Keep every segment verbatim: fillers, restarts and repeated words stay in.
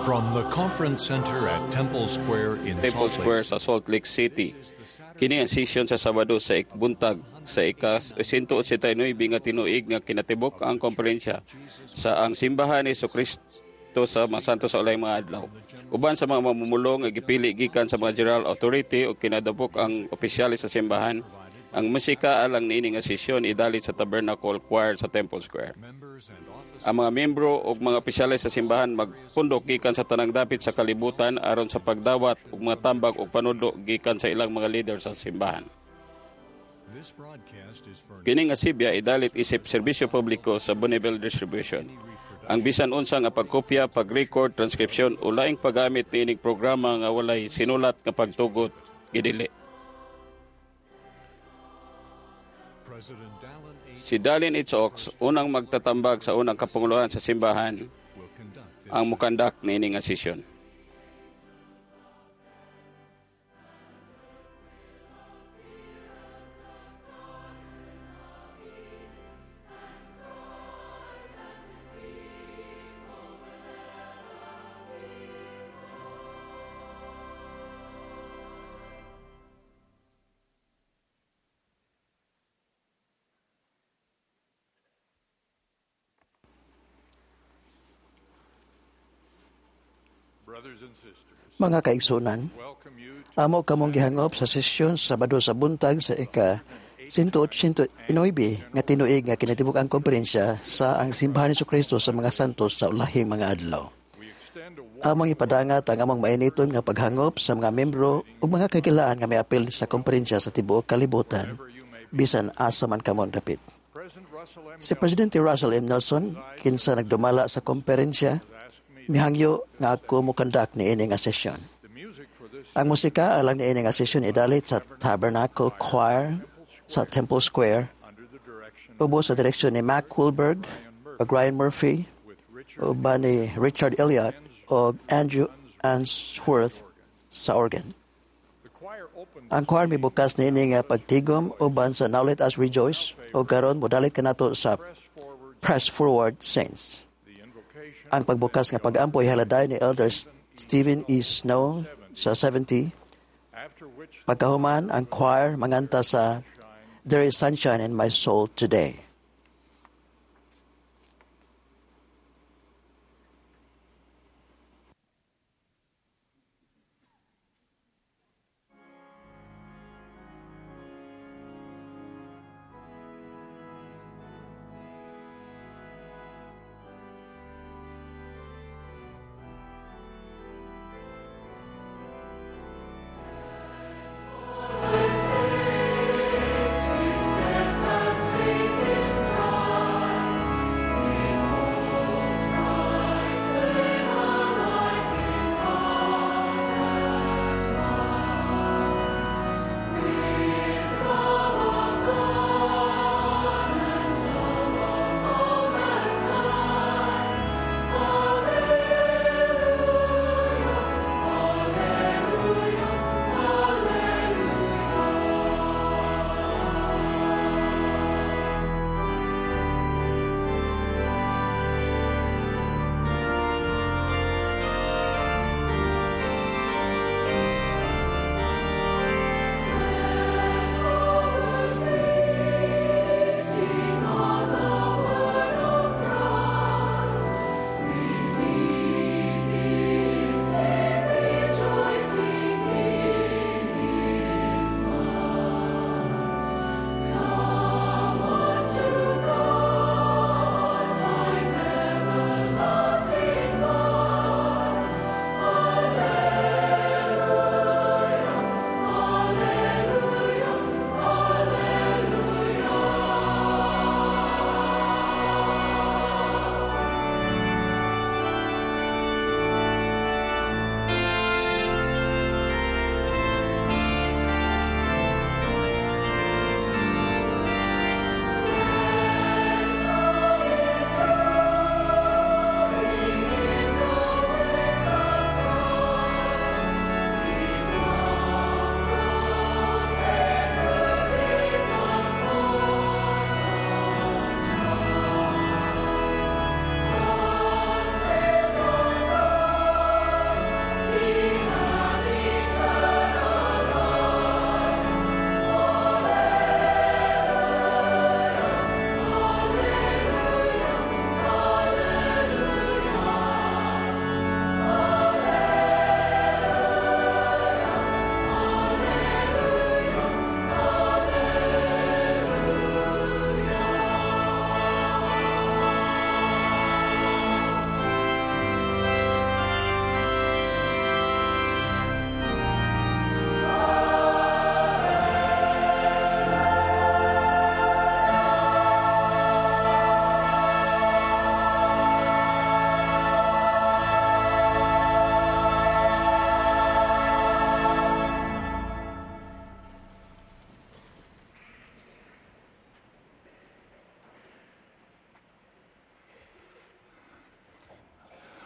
From the Conference Center at Temple Square in Temple Salt Lake Square sa Salt Lake City. Kini ang sesyon sa Sabado sa buntag sa ika one eighty-nine nga tinuig nga kinatibuk ang komperensya sa ang Simbahan ni Kristo sa mga Santos sa Ulahing mga Adlaw. Uban sa mga mamumulong nga gipili gikan sa mga General Authority o kinadabok ang opisyales sa simbahan, ang musika alang niini nga sesyon idalit sa Tabernacle Choir sa Temple Square. Members and officers Ang mga membro ug mga opisyales sa simbahan magpundok gikan sa tanang dapit sa kalibutan aron sa pagdawat og mga tambag ug panudlo gikan sa ilang mga leader sa simbahan. This broadcast is for Kini nga sibya idalit isip serbisyo publiko sa Bonneville Distribution. Ang bisan unsa nga pagkopya, pag-record, transkripsyon o laing paggamit niining programa nga walay sinulat nga pagtugot gidili. President Dallin H. Si Dallin H. Oaks, unang magtatambag sa unang kapanguluhan sa simbahan, will conduct this ang mukandak niini nga sesyon. Brothers and sisters, Mga kaigsunan, welcome you to amo kamong gihangop sa sesyon sa Sabado sa buntag sa ika one eighty-nine nga tinuig nga kinatibuk ang komperensya sa ang Simbahan ni Kristo sa mga Santos sa Ulahing mga Adlaw. We extend a warm Among ipadangat ang among mainiton nga paghangop sa mga membro ug mga kagilaan nga miapil sa komperensya sa tibuok kalibutan, bisan asa man kamo dapit. President Russell M. Si Presidente Russell M. Nelson, kinsa nagdumala sa komperensya, asked me mihangyo nga ako mokandak niini nga sesyon. The music for this Ang musika alang niini nga sesyon idalit sa Tabernacle Choir sa Temple Square under the direction ubos sa direksyon ni Mac Wilberg ug Ryan Murphy with Richard uban ni Richard Elliott ug Andrew Answorth sa organ. The choir opened Ang choir mibukas niini nga pagtigom uban sa Now Let Us Rejoice ug karon modalit kanato sa Press Forward. Press Forward Saints. The invocation Ang pagbukas nga pag-ampo ihaladay ni Elder Stephen E. Snow sa seventy. After which Pagkahuman, ang choir manganta sa There is Sunshine in My Soul Today. Steadfast faith in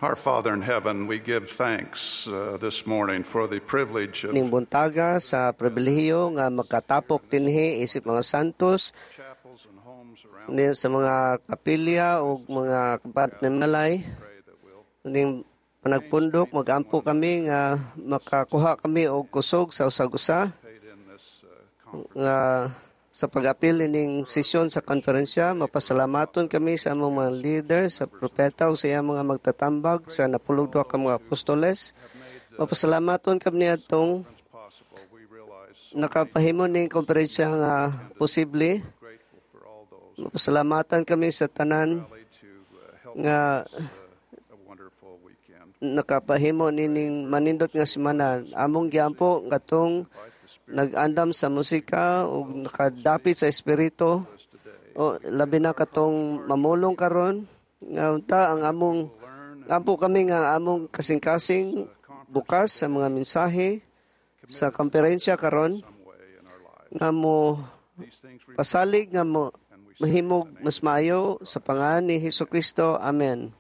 Our Father in heaven, we give thanks uh, this morning for the privilege of Ning buntaga sa pribilehiyo nga makatapok dinhi isip mga santos chapels and homes around ni sa mga kapilya ug mga kapat malay. Pray that we'll Ning panagpundok, magampo kami nga makakuha kami og kusog sa usag-usa participate in this uh, conference. Nga sa pag-apil ining sesyon sa konferensya. Mapasalamaton kami sa among mga leader, sa propeta ug sa iyang mga magtatambag sa napulog duha ka mga apostoles. Mapasalamaton kami niadtong Possible. We realize so nakapahimo ning konferensya nga posible. grateful for all those Mapasalamatan kami sa tanan rally to uh, help nga uh, a wonderful weekend. Nakapahimo nining manindot nga semana. Among giampo ngatong nag-andam sa musika ug nakadapit sa espiritu o labi na katong mamulong karon nga unta ang among ampo kami nga among kasing-kasing bukas sa mga mensahe sa konferensya karon Some way in our lives. Nga mo These things we pasalig nga mo mahimog mas maayo sa pangalan ni Hesus Kristo. Amen.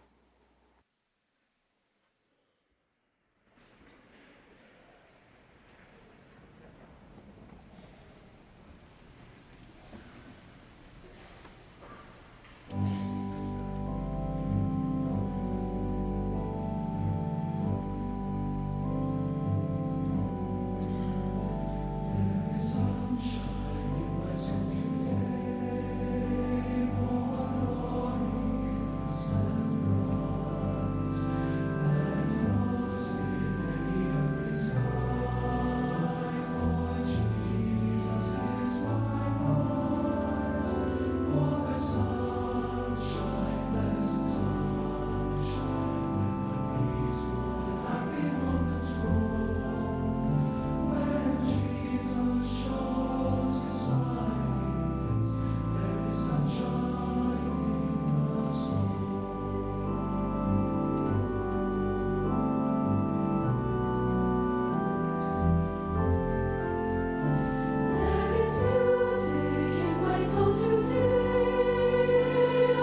There is music in my soul today, a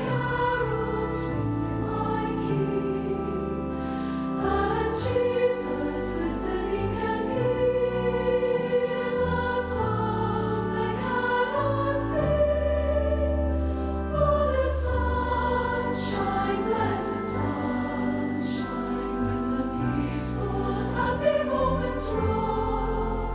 carol to my King, and Jesus listening can hear the songs I cannot sing. For the sunshine, blessed sunshine, when the peaceful, happy moments roll.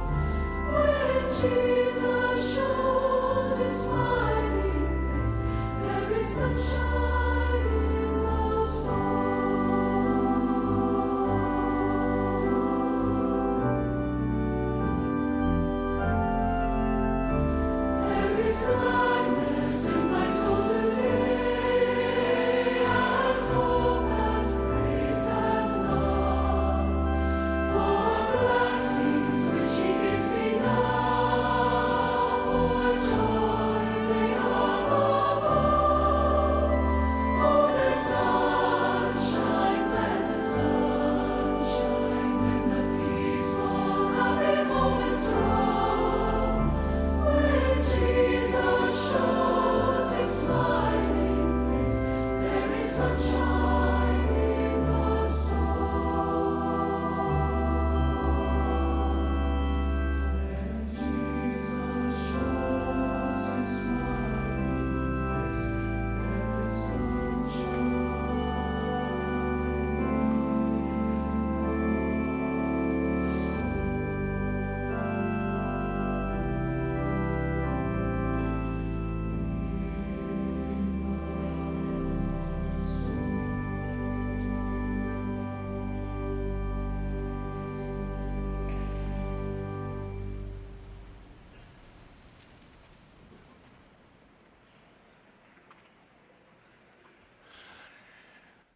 When Jesus shows his smiling face, there is sunshine in the soul. There is gladness in my soul today, and hope and praise and love. For blessings which He gives me now, for joys they are above. Oh, the sunshine, blessed sunshine, when the peaceful, happy moments roll. When Jesus shows His smiling face, there is sunshine in the soul. When Jesus shows His smiling face, there is sunshine.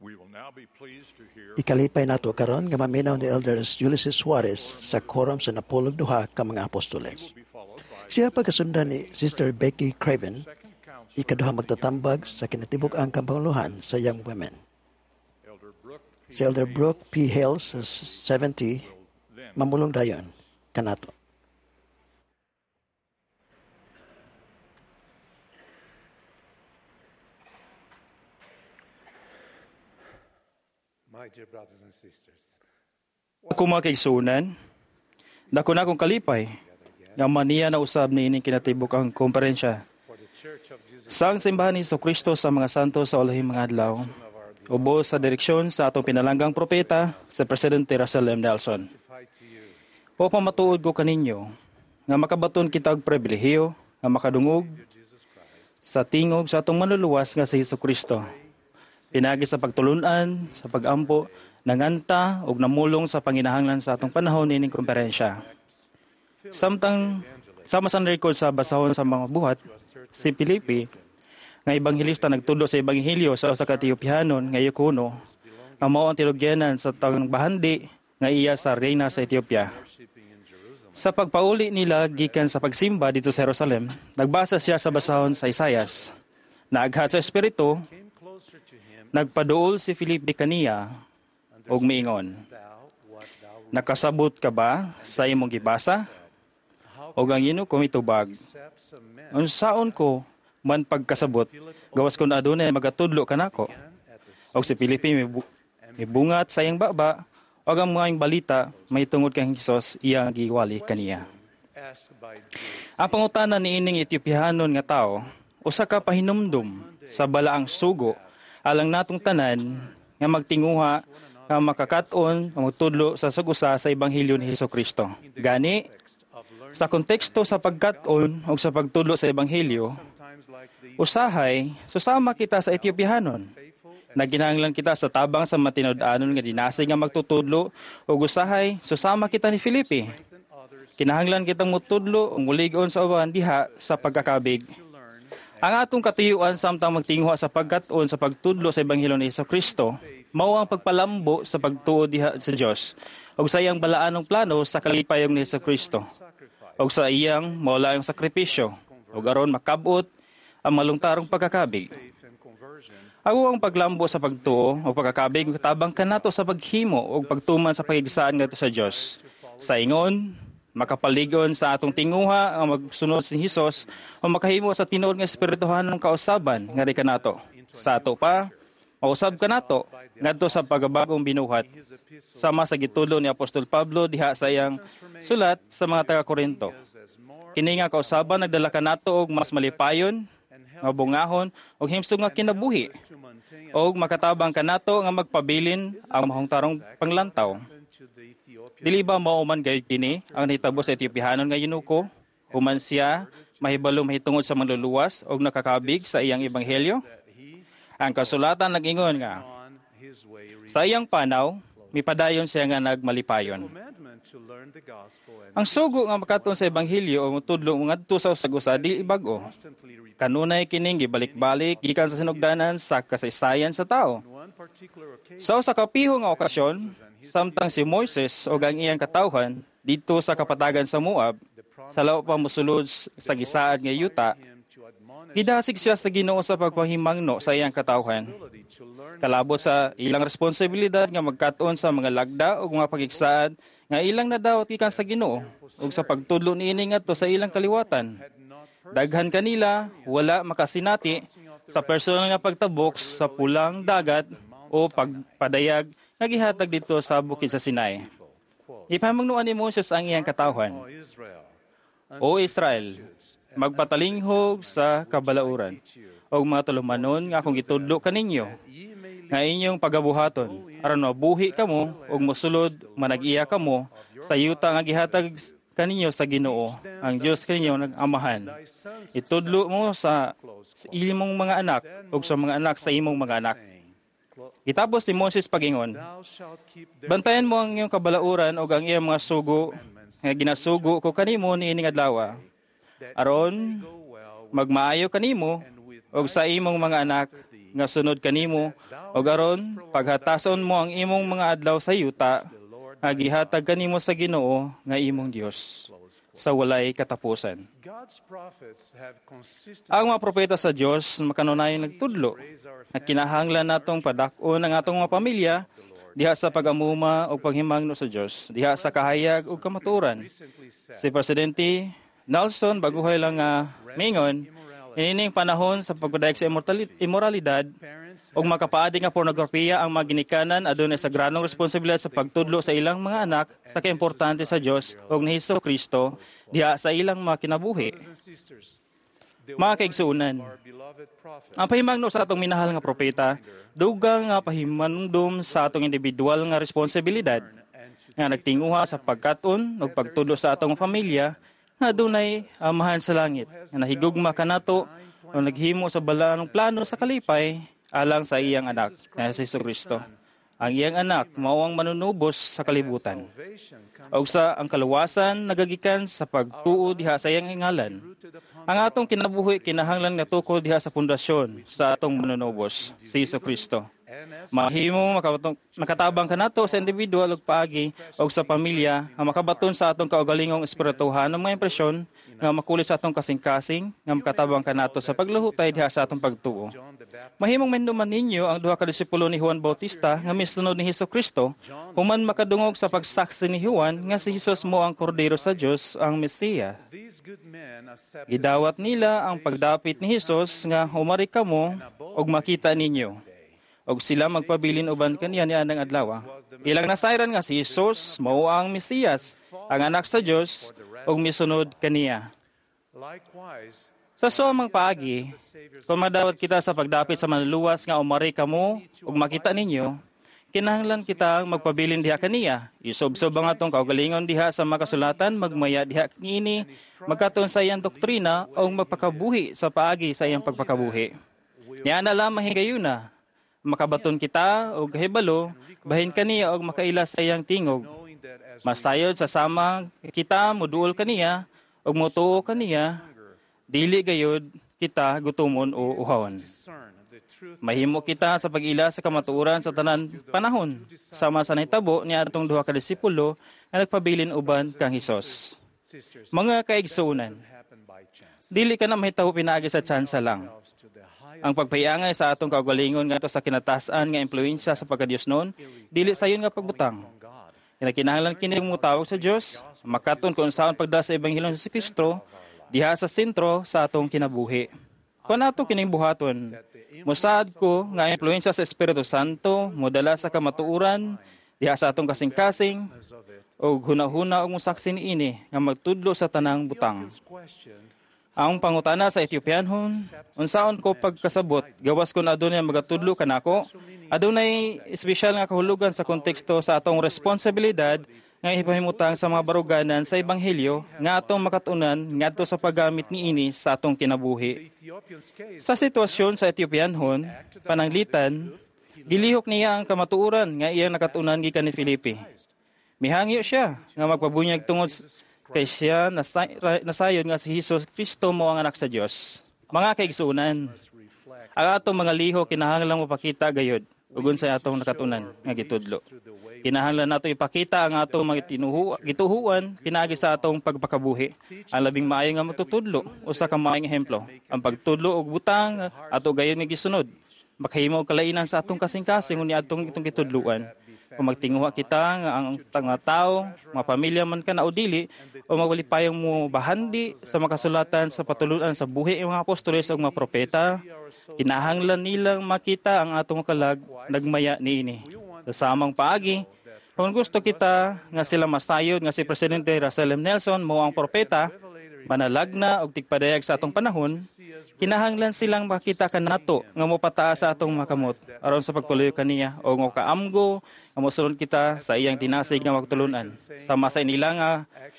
We will now be pleased to hear Ikalipay nato karon nga maminaw ni Elders Ulysses Suarez sa quorum sa napulog duha ka mga apostoles. Be followed by Siya pagkasundan ni Sister Becky Craven, Second Counselor ikaduha magtatambag sa kinatibuk-ang kampanguluhan sa Young Women. Elder Brooke P. Si Elder Brooke P. Hales sa seventy Then mamulong dayon kanato. My dear brothers and sisters, Ako mga kaigsuonan, dako na akong kalipay nga maniya na usab niining kinatibuk ang komperensya for the Church of Jesus sa ang simbahan ni Kristo sa mga santo sa ulahing mga adlaw, ubos sa direksyon sa atong pinalanggang propeta sa Presidente Russell M. Nelson. testify to you O pamatuod ko kaninyo nga makabaton kita og pribilehiyo nga makadungog sa tingog sa atong manluluwas nga si Hesus Kristo. Pinaagi sa pagtulunan, sa pagampo, nanganta ug namulong sa panginahanglan sa atong panahon niining komperensya. Samtang sama sa record sa basahon sa mga buhat, si Felipe nga ebanghelista nagtudlo sa ebanghelyo sa usa ka Etiopianon nga eunuko nga mao ang tinugyanan sa tanang bahandi nga iya sa reyna sa Ethiopia. Sa pagpauli nila gikan sa pagsimba dito sa Jerusalem, nagbasa siya sa basahon sa Isayas. Naaghat sa espiritu, came closer to him, nagpaduol si Felipe kaniya ug miingon. thou what thou Nakasabot ka ba sa imong gibasa? Og ang eunuko mitubag. accepts a man Unsaon ko man pagkasabot, gawas kun adunay magatudlo kanako. Og si Felipe mibu- mibungat sa iyang baba, og ang mga balita may tungod kang Hesus iyang giwali kaniya. asked by this Ang pangutana niining Etiopianon nga tao, usa ka pahinumdum sa balaang sugo alang natong tanan nga magtinguha nga makakaton nga magtudlo sa sag-usa sa ebanghelyo ni Hesus Kristo. Gani sa konteksto sa pagkat-on ug sa pagtudlo sa ebanghelyo, times like the usahay susama kita sa Etiopianon. Naginahanglan kita sa tabang sa matinud-anon nga dinasig nga magtutudlo ug usahay susama kita ni Felipe. Kinahanglan kitang mutudlo ug mulig-on sa uban diha sa pagkakabig. Ang atong katuyuan samtang magtinguha sa pagkat-on sa pagtudlo sa ebanghelyo ni Kristo mao ang pagpalambo sa pagtuo diha sa Dios ug sa iyang balaanong plano sa kalipayong ni Kristo ug sa iyang maulayong sakripisyo ug aron makabot ang malungtarong pagkakabig. faith and conversion Ang ang paglambo sa pagtuo o pagkakabig tabang kanato sa paghimo o pagtuman sa pakigsaan ngadto sa Dios. Sa ingon, makapaligon sa atong tinguha ang magsunod si Hesus o makahimo sa tinuod nga espirituhanong kausaban nga di kanato. Sa ato pa, mausab kanato ngadto sa pagabagong binuhat sama sa gitudlo ni Apostol Pablo diha sa iyang sulat sa mga taga-Korinto. Kini nga kausaban nagdala kanato og mas malipayon, nga bungahon ug himsog nga kinabuhi to maintain ug makatabang kanato nga magpabilin ang mahungtarong panglantaw. to the Ethiopian Dili ba mao man gayud kini ang nahitabo sa Etiopianon nga eunuko? Human siya mahibalo mahitungod sa manluluwas og nakakabig sa iyang ebanghelyo? Ang kasulatan nag-ingon nga on his way sa iyang panaw mipadayon siya nga nagmalipayon. commandment to learn the gospel and Ang sugo nga makaton sa ebanghelyo o motudlo ngadto sa usag-usa dili bag-o. constantly repeat Kanunay kining gibalik-balik gikan sa sinugdanan sa kasaysayan sa tao. one particular occasion Sa usa ka piho nga okasyon, samtang si Moises ug ang iyang katawhan didto sa kapatagan sa Moab, sa lawa pa mosulod sa gisaad nga yuta, him to admonish gidasig siya sa Ginoo sa pagpahimangno sa iyang katawhan. ability to learn Kalabot sa ilang responsibilidad nga magkat-on sa mga lagda ug mga pagigsaad nga ilang nadawat gikan sa Ginoo ug sa pagtudlo niini ngadto sa ilang kaliwatan. Daghan kanila wala makasinati sa personal nga pagtabok sa pulang dagat o pagpadayag nga gihatag didto sa bukid sa Sinai. Ipamangnuan ni Moses ang iyang katawhan. O Israel O Israel, magpatalinghog sa kabalauran og mga tulumanon nga akong gitudlo kaninyo ye may nga inyong pagabuhaton aron mabuhi kamo ug mosulod manag-iya kamo sa yuta nga gihatag kaninyo sa Ginoo ang Dios kaninyo nag-amahan itudlo mo sa, sa imong mga anak ug sa mga anak sa imong mga anak Gitapos ni Moses pagingon thou shalt keep their Bantayan mo ang iyong kabalauran ug ang iyang mga sugo nga ginasugo ko kanimo niining adlaw. Aron go well magmaayo kanimo ug sa imong mga anak nga sunod kanimo ug aron paghatason mo ang imong mga adlaw sa yuta nga gihatag kanimo sa Ginoo nga imong Dios sa walay katapusan. God's prophets have consistently Ang mga propeta sa Dios makanunayan nagtudlo nga kinahanglan natong padak-on ang atong mga pamilya diha sa pag-amuma ug paghimangno sa Dios, diha sa kahayag ug kamatuoran. Si Presidente Nelson baguhay lang nga mingon, ining panahon sa pagpadayag sa immortali- immoralidad, parents Ug makapaadi nga pornografiya ang mga ginikanan adunay sagradong responsibilidad sa pagtudlo sa ilang mga anak sa kaimportante sa Dios ug ni Hesus Kristo diha sa ilang mga kinabuhi. Mga kaigsuonan, ang pahimangno sa atong minahal nga propeta, dugang nga pahimanumdum sa atong individual nga responsibilidad nga nagtinguha sa pagkat-on ug pagtudlo sa atong pamilya nga adunay Amahan sa langit nga nahigugma kanato o naghimo sa balaanong plano sa kalipay alang sa iyang anak nga si Kristo. Ang iyang anak mao ang manunubos sa kalibutan. Og sa ang kaluwasan nagagikan sa pagtuo diha sa iyang ngalan. Ang atong kinabuhi kinahanglan nga tukod diha sa pundasyon sa atong manunubos, si Hesus Kristo. Mahimo makatabang kanato sa individual ug paagi og sa pamilya nga makabaton sa atong kaugalingong espirituhanong mga impresyon nga makulit sa atong kasing-kasing nga makatabang kanato sa pagluhutay diha sa atong pagtuo. Mahimong mahinumduman ninyo ang duha ka disipulo ni Juan Bautista nga misunod ni Hesus Kristo human makadungog sa pagsaksi ni Juan nga si Hesus mao ang kordero sa Dios, ang Mesiya. Gidawat nila ang pagdapit ni Hesus nga humari kamo og makita ninyo. Og sila magpabilin uban kaniya nianang adlaw. Ilang nasayran nga si Hesus mao ang Mesiyas, ang anak sa Dios ug misunod kaniya. Sa suamang paagi, kung madawat kita sa pagdapit sa manluluwas nga umari kamo ug makita ninyo, kinahanglan kita magpabilin diha kaniya. Isubsob ang atong kaugalingon diha sa makasulatan, magmaya diha niini, magkatuon sa iyang doktrina o magpakabuhi sa paagi sa iyang pagpakabuhi. Niana lamang higayuna, makabaton kita og kahibalo, bahin kaniya og makaila sa iyang tingog. Masayod sa sama kita muduol kaniya og motuo kaniya, dili gayod kita gutumon o uhawon. Mahimo kita sa pag-ila sa kamatuoran sa tanan panahon, sama sa nahitabo ni atong duha ka disipulo nga nagpabilin uban kang Hesus. Mga kaigsuonan, dili ka na mahitabo pinaagi sa tsansa lang. Ang pagpahiangay sa atong kaugalingon ngadto sa kinatasan nga impluwensya sa pagkadiyos noon, dili sayon nga pagbutang. Kinakinahanglan kini motawag sa Dios, makaton kung unsaon pagdala sa ebanghelyo sa Kristo diha sa sentro sa atong kinabuhi. Kung ato kining buhaton, mosaad ko nga impluwensya sa Espiritu Santo modala sa kamatuoran diha sa atong kasing-kasing og hunahuna og mosaksi niini nga magtudlo sa tanang butang. Ang pangutana sa Ethiopianhon, unsaon ko pagkasabot, gawas kon adunay magatudlo kanako, adunay espesyal nga kahulugan sa konteksto sa atong responsibilidad nga ipahimutang sa mga baruganan sa ebanghelyo nga atong makatunan ngadto sa paggamit niini sa atong kinabuhi. Sa sitwasyon sa Ethiopianhon, pananglitan, gilihok niya ang kamatuoran nga iyang nakatunan gikan ni Felipe. Mihangyo siya nga magpabunyag tungod kay siya nasay, nasayod nga si Hesus Kristo mo ang anak sa Dios. Mga kaigsuonan, ang atong mga liho kinahanglan mopakita gayod ug unsay atong nakatunan nga gitudlo. Kinahanglan nato ipakita ang atong mga tinuhu, gituhuan pinaagi sa atong pagpakabuhi. Ang labing maayo nga matutudlo usa ka maayong ehemplo, ang pagtudlo og butang ato gayon nga gisunod. Makahimo og kalainan sa atong kasing-kasing unya atong itong gitudluan. Kung magtinguha kita nga ang mga tao, mga pamilya man ka na o dili, o magwalipayong mo bahandi sa makasulatan sa patulunan sa buhi ng mga apostoles o mga propeta, kinahanglan nilang makita ang atong kalag nagmaya niini. Sa samang paagi, kung gusto kita nga sila masayod nga si Presidente Russell M. Nelson mo ang propeta, manalagna og tigpadayag sa atong panahon, kinahanglan silang makita kanato nga mopataas sa atong mga kamot aron sa pagpalayo kaniya o nga kaamgo nga mosulod kita sa iyang tinasig nga magtulunan. Sama sa inila nga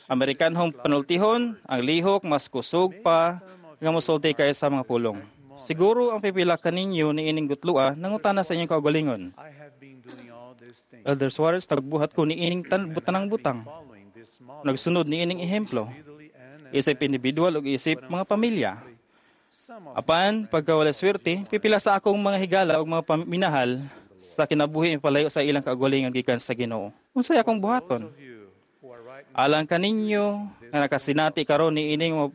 Amerikanhong panultihon, ang lihok mas kusog pa nga mosulti kaysa sa mga pulong. Siguro ang pipila kaninyo niining gutlua nangutana sa inyong kaugalingon. Elder Suarez, tagbuhat ko niining tan tanang butang. Nagsunod niining ehemplo. Isip individual ug isip mga pamilya. Apan pagka wala swerte, pipila sa akong mga higala ug mga minahal sa kinabuhi palayo sa ilang kaugalingon gikan sa Ginoo. Unsay akong buhaton? Alang kaninyo nga nakasinati karon niining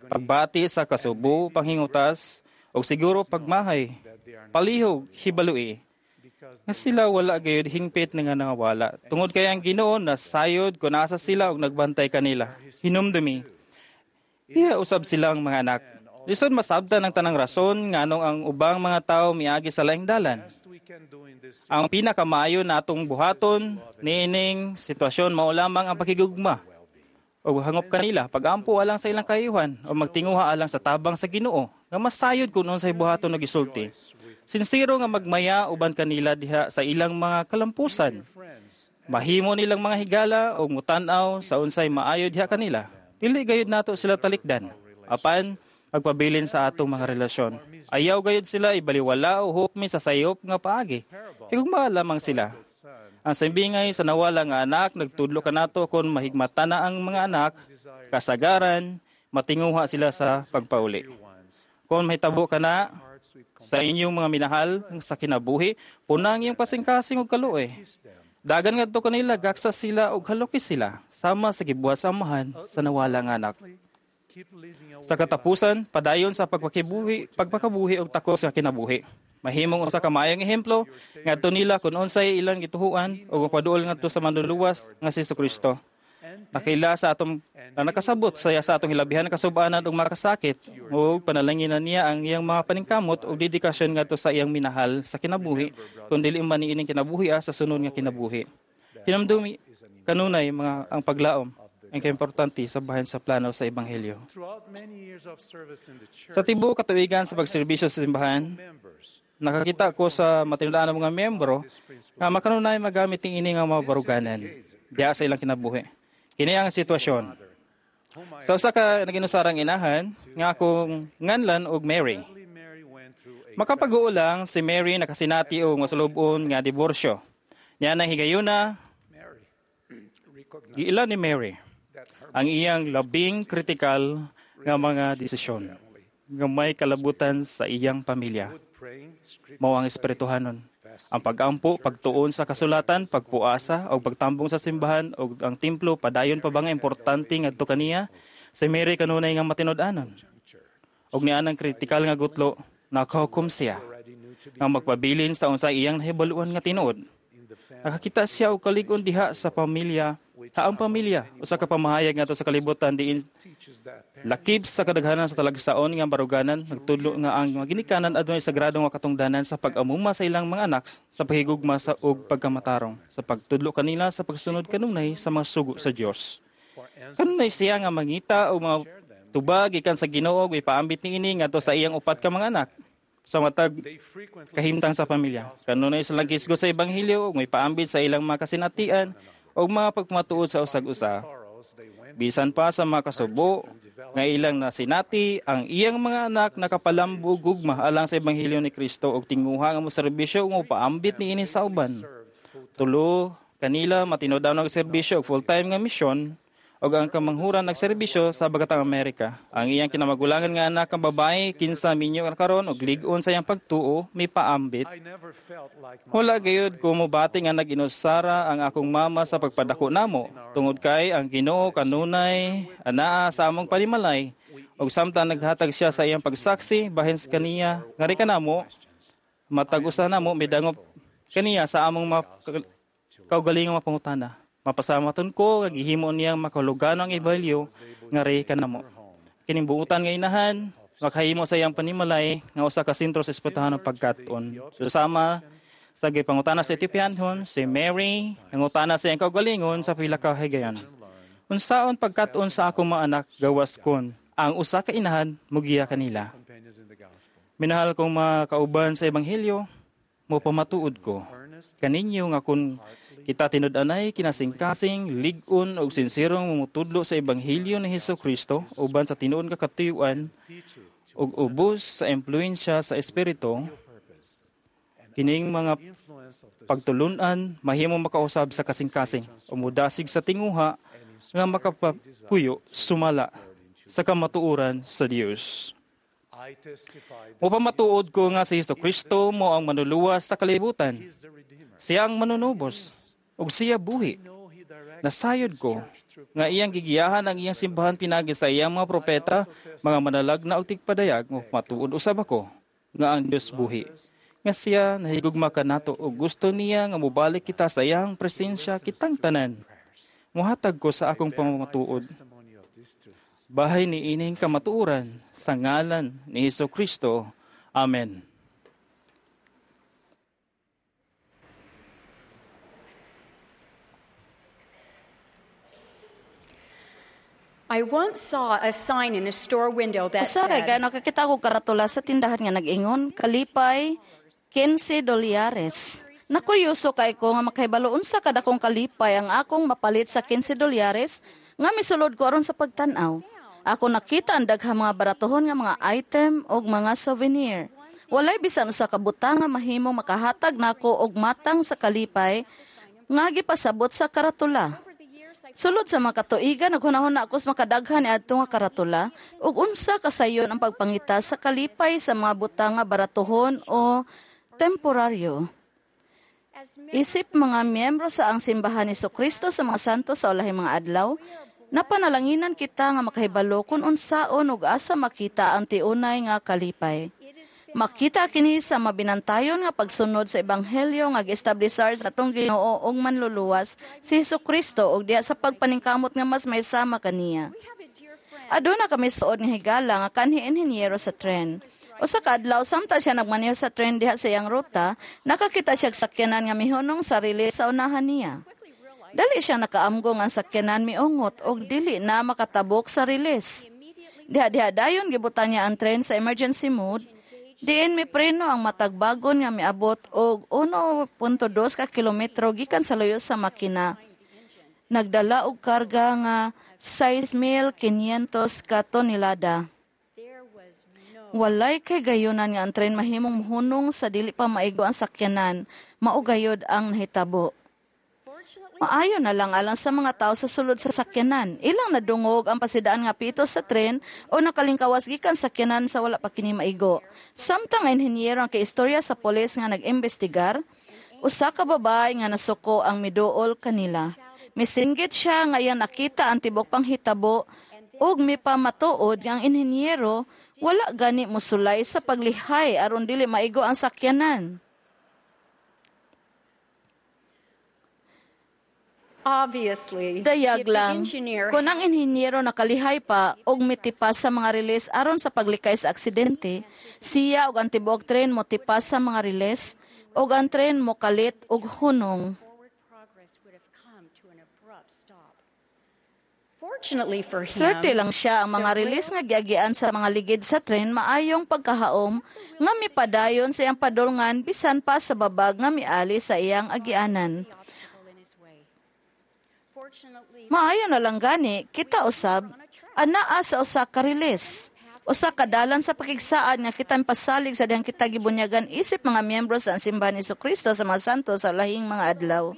pagbati sa kasubo, panghingutas ug siguro pagmahay, palihog hibalui nga sila wala gayud hingpit nga nangawala. Tungod kay ang Ginoo nasayod kun asa sila ug nagbantay kanila. Hinumdumi, iya usab silang mga anak. Lisod masabtan ang tanang rason nganong ang ubang mga tawo miagi sa laing dalan. Ang pinakamaayo natong buhaton niining sitwasyon mao lamang ang pakigugma o hangop kanila pagampo alang sa ilang kayuhan o magtinguha alang sa tabang sa Ginoo nga masayod kun unsay buhaton og gisulti. Sinsero nga magmaya uban kanila diha sa ilang mga kalampusan. Mahimo nilang mga higala og mutan-aw sa unsay maayo diha kanila. Dili gayud nato sila talikdan. Apan agpabilin sa atong mga relasyon. Ayaw gayud sila ibaliwala o hukmi sa sayop nga paagi. Higugma lamang sila. Ang simbingay sa nawala nga anak, nagtudlo kanato kon mahigmata na ang mga anak, kasagaran, matinguha sila sa pagpauli. Kung mahitabo ka na sa inyong mga minahal sa kinabuhi, punang iyong kasing-kasing og kaluoy. Dagan ngadto kanila, gaksa sila og haloki sila, sama sa gibuhat sa amahan sa nawala nga anak. Sa katapusan, padayon sa pagpakibuhi, pagpakabuhi og takos nga kinabuhi. Mahimong usa ka maayong ehemplo ngadto nila kun unsay ilang gituhuan ug paduol ngadto sa manluluwas nga si Jesucristo. Nakaila sa atong na nakasabot saya sa atong hilabihan kasubanan ug makasakit ug panalanginan niya ang iyang mga paningkamot ug dedikasyon ngadto sa iyang minahal sa kinabuhi kun dili man niining kinabuhi ah, sa sunod nga kinabuhi. Hinumdumi kanunay mga ang paglaom ang kaimportante sa bahin sa plano sa ebanghelyo. Sa tibuok katuigan sa pagserbisyo sa simbahan, nakakita ko sa matinud-an mga miyembro nga makanunay magamit ni ini nga mga baruganan diha sa ilang kinabuhi. Kini ang sitwasyon. Sa usa ka naginusarang inahan nga akong nganlan og Mary. Makapag-uo lang si Mary nakasinati og masulub-on nga diborsyo. Niya nang higayuna giila ni Mary ang iyang labing kritikal nga mga desisyon nga may kalabutan sa iyang pamilya. Mao ang espirituhanon. Ang pag-ampo, pagtuon sa kasulatan, pagpuasa, o pagtambong sa simbahan, o ang templo, padayon pa ba nga importante ngadto kaniya? Si Mary kanunay nga matinud-anon. Og niya ang kritikal nga gutlo, nakahukom siya nga magpabilin sa unsay iyang nahibaluan nga tinuod. Nakakita siya og kalig-on diha sa pamilya, ha ang pamilya, usa ka pamahayag ngadto sa kalibutan diin lakip sa kadaghanan sa talagsaon nga baruganan, nagtudlo nga ang mga ginikanan adunay sagrado nga katungdanan sa pag-amuma sa ilang mga anak sa paghigugma sa og pagkamatarong, sa pagtudlo kanila sa pagsunod kanunay sa mga sugo sa Dios. Kanunay siya nga mangita og mga tubag gikan sa Ginoo ug ipaambit niini ngadto sa iyang upat ka mga anak sa matag kahimtang sa pamilya. Kanunay silang gisgo sa ebanghelyo ug may paambit sa ilang mga kasinatian ug mga pagmatuod sa usag-usa. Bisan pa sa mga kasubo nga ilang nasinati ang iyang mga anak nakapalambo gugma alang sa ebanghelyo ni Kristo ug tinguha nga moserbisyo ug paambit niini sa uban. Tulo kanila matinud-an og serbisyo og full-time nga misyon ug ang kamanghuran nagserbisyo sa Bagatang Amerika. Ang iyang kinamagulangan nga anak ang babae kinsa minyo karon og lig-on sa iyang pagtuo may paambit. Wala gayud ko mobati nga nag-inusara ang akong mama sa pagpadako namo tungod kay ang Ginoo kanunay anaa sa among panimalay ug samtang naghatag siya sa iyang pagsaksi bahin sa kaniya ngari kanamo matag usa namo midangop kaniya sa among ma- kaugalingong mga pangutana. Mapasamaton ko nga gihimo niyang makahulugan ang ebanghelyo ngari kanamo. Kining buutan nga inahan makahimo sa iyang panimalay nga usa ka sentro sa espirituhanong pagkat-on. So, sama sa gipangutana sa Ethiopianhon, si Mary nangutana sa iyang kaugalingon sa pila ka higayon. Unsaon pagkat-on sa akong mga anak gawas kon ang usa ka inahan mugiya kanila. Minahal kong mga kauban sa ebanghelyo, mo pamatuod ko kaninyo nga kun kita tinud-anay kinasingkasing lig-on ug sinsirong mumutudlo sa ebanghelyo ni Hesus Kristo uban sa tinuod nga katuyuan ug ubos sa impluwensya sa espiritu kining mga pagtulun-an mahimo makausab sa kasing-kasing o mudasig sa tinguha nga makapapuyo sumala sa kamatuoran sa Dios. Mupamatuod ko nga si Hesus Kristo mo ang manluluwas sa kalibutan. Siya ang manunubos ug siya buhi. Nasayod ko nga iyang gigiyahan ang iyang simbahan pinagi sa iyang mga propeta, mga manalagna ug tigpadayag, matuod usab ako nga ang Dios buhi. Nga siya nahigugma kanato ug gusto niya nga mobalik kita sa iyang presensya kitang tanan. Muhatag ko sa akong pamamatuod. Bahay ni ining kamatuoran sa ngalan ni Hesus Kristo. Amen. I once saw a sign in a store window that Usa kay said, gano kakita ko karatula sa tindahan nga nag-ingon, kalipay kinse dolyares. Nakuryoso kay ko nga makahibalo unsa kadakong kalipay ang akong mapalit sa kinse dolyares nga misulod ko aron sa pagtan-aw. Ako nakita ang daghang mga baratohon nga mga item og mga souvenir. Walay bisan usa ka butang nga mahimong makahatag nako og matang sa kalipay nga gipasabot sa karatula. Sulod sa mga katuigan, naghunahuna ako sa makadaghan ni adto nga karatula ug unsa kasayon ang pagpangita sa kalipay sa mga butang nga baratohon o temporaryo. Isip mga miyembro sa ang simbahan ni Kristo sa mga santo sa ulahing mga adlaw, napanalanginan kita nga makahibalo kung unsaon ug asa makita ang tiunay nga kalipay. Makita kini sa mabinantayon nga pagsunod sa ebanghelyo nga giestablisar sa atong Ginoo ug manluluwas si Hesukristo ug diha sa pagpaningkamot nga mas maysama kaniya. Aduna kami suod nga higala nga kanhi inhinyero sa tren. Usa ka adlaw samtang siya nagmaneho sa tren diha sa iyang ruta, nakakita siya og sakyanan nga mihunong sarili sa unahan niya. Dali siya nakaamgo nga ang sakyanan miungot og dili na makatabok sa riles. Diha-diha dayon gibutan niya ang tren sa emergency mode. Diin mipreno ang matagbagon nga miabot og uno punto dos ka kilometro gikan sa luyo sa makina. Nagdala og karga nga sais mil quinientos ka tonelada. Walay kay gayunan nga ang tren mahimong mohunong sa dili pa maigo ang sakyanan, mao gayod ang nahitabo. Maayo na lang alang sa mga tao sa sulod sa sakyanan. Ilang nadungog ang pasidaan nga pito sa tren o nakalingkawas gikan sakyanan sa wala pa kini maigo. Samtang ang inhinyero ang kaistorya sa pulis nga nag-imbestigar, usa ka babae nga nasuko ang miduol kanila. Misinggit siya nga iyang nakita ang tibok panghitabo ug mipamatuod nga ang inhinyero wala gani mosulay sa paglihay aron dili maigo ang sakyanan. Obviously, Dayag if the lang, engineer kung ang inhinyero nakalihay pa og mitipas sa mga riles aron sa paglikay sa aksidente, siya og ang tibuok tren motipas sa mga riles og ang tren mokalit og hunong. Fortunately for him, Swerte lang siya ang mga riles nga giagian sa mga ligid sa tren maayong pagkahaom nga mipadayon sa iyang padulngan bisan pa sa babag nga miali sa iyang agianan. Maayo na lang gani, kita usab, anaa sa usa ka riles. Usa ka dalan sa pakigsaad nga kita pasalig sa dihang kita gibunyagan isip mga miyembro sa simbahan ni Hesukristo sa mga santo sa lahing mga adlaw.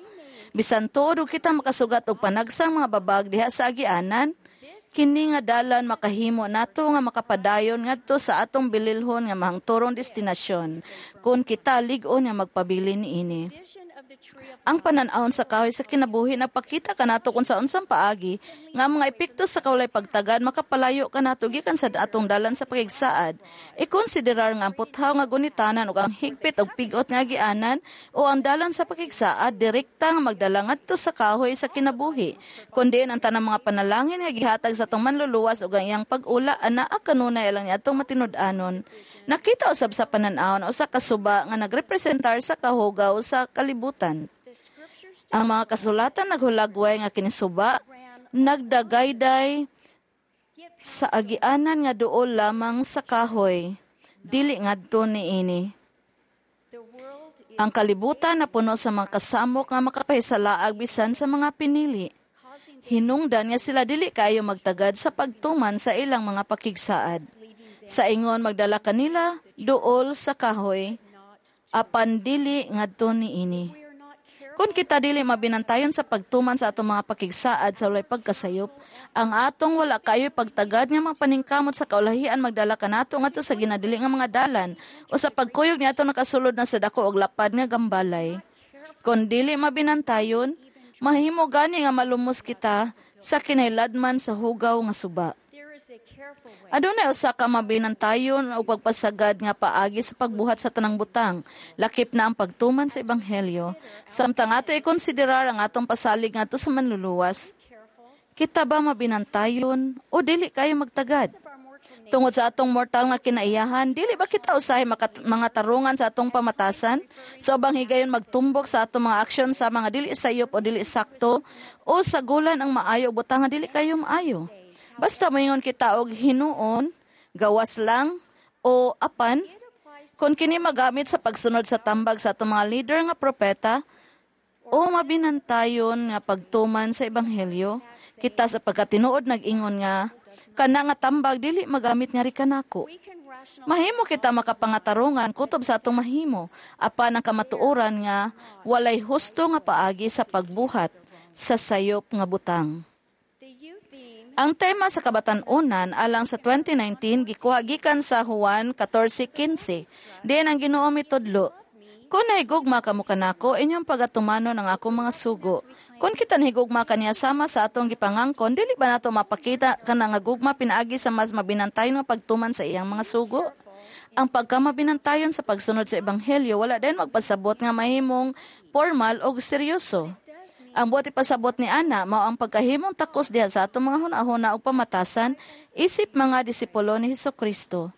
Bisan tuod og kita makasugat og panagsang mga babag diha sa agianan, kini nga dalan makahimo nato nga makapadayon ngadto sa atong bililhon nga mahangturong destinasyon kun kita lig-on nga magpabili niini. Ang panan-awon sa kahoy sa kinabuhi nagpakita kanato kung sa unsang paagi nga ang mga epekto sa kawalay pagtagad makapalayo kanato gikan sa atong dalan sa pakigsaad. Ikonsiderar nga ang puthaw nga gunitanan ug ang higpit og pigot nga agianan o ang dalan sa pakigsaad direkta nga magdala ngadto sa kahoy sa kinabuhi. Kundi ang tanang mga panalangin nga gihatag sa atong manluluwas ug ang iyang pag-ula anaa kanunay alang niadtong matinud-anon. Nakita usab sa panan-awon usa ka suba nga nagrepresentar sa kahugaw sa kalibutan. Ang mga kasulatan naghulagway nga kini suba nagdagayday sa agianan nga duol lamang sa kahoy, dili ngadto niini. Ang kalibutan napuno sa mga kasamok nga makapahisalaag bisan sa mga pinili. Hinungdan nga sila dili kaayo magtagad sa pagtuman sa ilang mga pakigsaad. Sa ingon magdala kanila duol sa kahoy, apan dili ngadto niini. Kung kita dili mabinantayon sa pagtuman sa atong mga pakigsaad sa walay pagkasayop, ang atong wala kayo'y pagtagad nga mga paningkamot sa kaulahian magdala kanato ngadto sa ginadili nga mga dalan o sa pagkuyog niadto nakasulod na sa dako og lapad nga gambalay. Kung dili mabinantayon, mahimo gani nga malumos kita sa kinailadman sa hugaw nga suba. Adunay usa ka mabinantayon o pagpasagad nga paagi sa pagbuhat sa tanang butang, lakip na ang pagtuman sa ebanghelyo. Samtang ato ikonsiderar ang atong pasalig ngadto sa manluluwas, Kita ba mabinantayon o dili kayo magtagad? Tungod sa atong mortal nga kinaiyahan, dili ba kita usahay makat- mga tarungan sa atong pamatasan? Sa ubang higayon magtumbok sa atong mga aksyon sa mga dili sayop o dili sakto o sagulan ang maayo o butang nga dili kayo maayo. Basta moingon kita og hinuon, gawas lang o apan, kung kini magamit sa pagsunod sa tambag sa atong mga leader nga propeta o mabinantayon nga pagtuman sa ebanghelyo, kita sa pagkatinuod nag-ingon nga kana nga tambag dili magamit nga kanako. Mahimo kita makapangatarungan kutob sa atong mahimo apan ang kamatuoran nga walay husto nga paagi sa pagbuhat sa sayop nga butang. Ang tema sa kabatan-unan alang sa twenty nineteen gikuha gikan sa Juan fourteen fifteen. Diin ang Ginoo mitudlo, "Kung nahigugma kamo kanako, inyong pagatumanon ang akong mga sugo. Kung kita nahigugma kaniya sama sa atong gipangangkon, dili ba nato mapakita kana nga gugma pinaagi sa mas mabinantayon nga pagtuman sa iyang mga sugo?" Ang pagkamabinantayon sa pagsunod sa ebanghelyo wala din magpasabot nga mahimong formal o seryoso. Ang buot ipasabot ni Ana mao ang pagkahimong takos diha sa atong mga hunahuna ug pamatasan isip mga disipulo ni Hesukristo.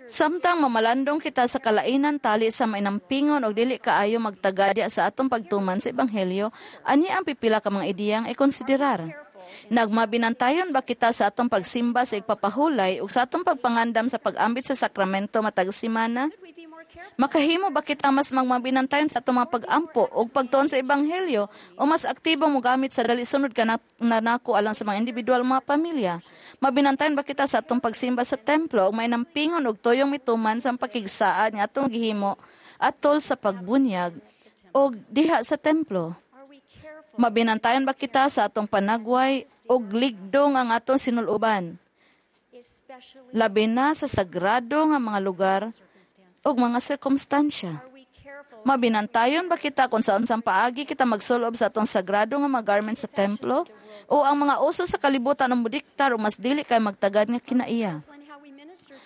Samtang mamalandong kita sa kalainan tali sa mainampingon og dili kaayo magtaga diha sa atong pagtuman sa ebanghelyo, ani ang pipila ka mga ideyang ikonsiderar. Nagmabinantayon ba kita sa atong pagsimba sa igpapahulay ug sa atong pagpangandam sa pag-ambit sa sakramento matag semana? Makahimo ba kita mas magmabinantayon sa atong mga pag-ampo ug pagtuon sa ebanghelyo o mas aktibo mogamit sa dali sunod ka na, nanako alang sa mga individual mga pamilya? Mabinantayon ba kita sa atong pagsimba sa templo ug mainampingon og tuyong mituman sa pakigsaad nga atong gihimo atol sa pagbunyag og diha sa templo? Mabinantayon ba kita sa atong panagway og ligdong ang atong sinuluban? Labi na sa sagrado nga mga lugar ug mga sirkumstansya. Mabinantayon ba kita kung saan sang paagi kita magsulob sa atong sagrado nga mga garment sa templo o ang mga uso sa kalibutan ang modiktar o mas dili kay magtagad nga kinaiya?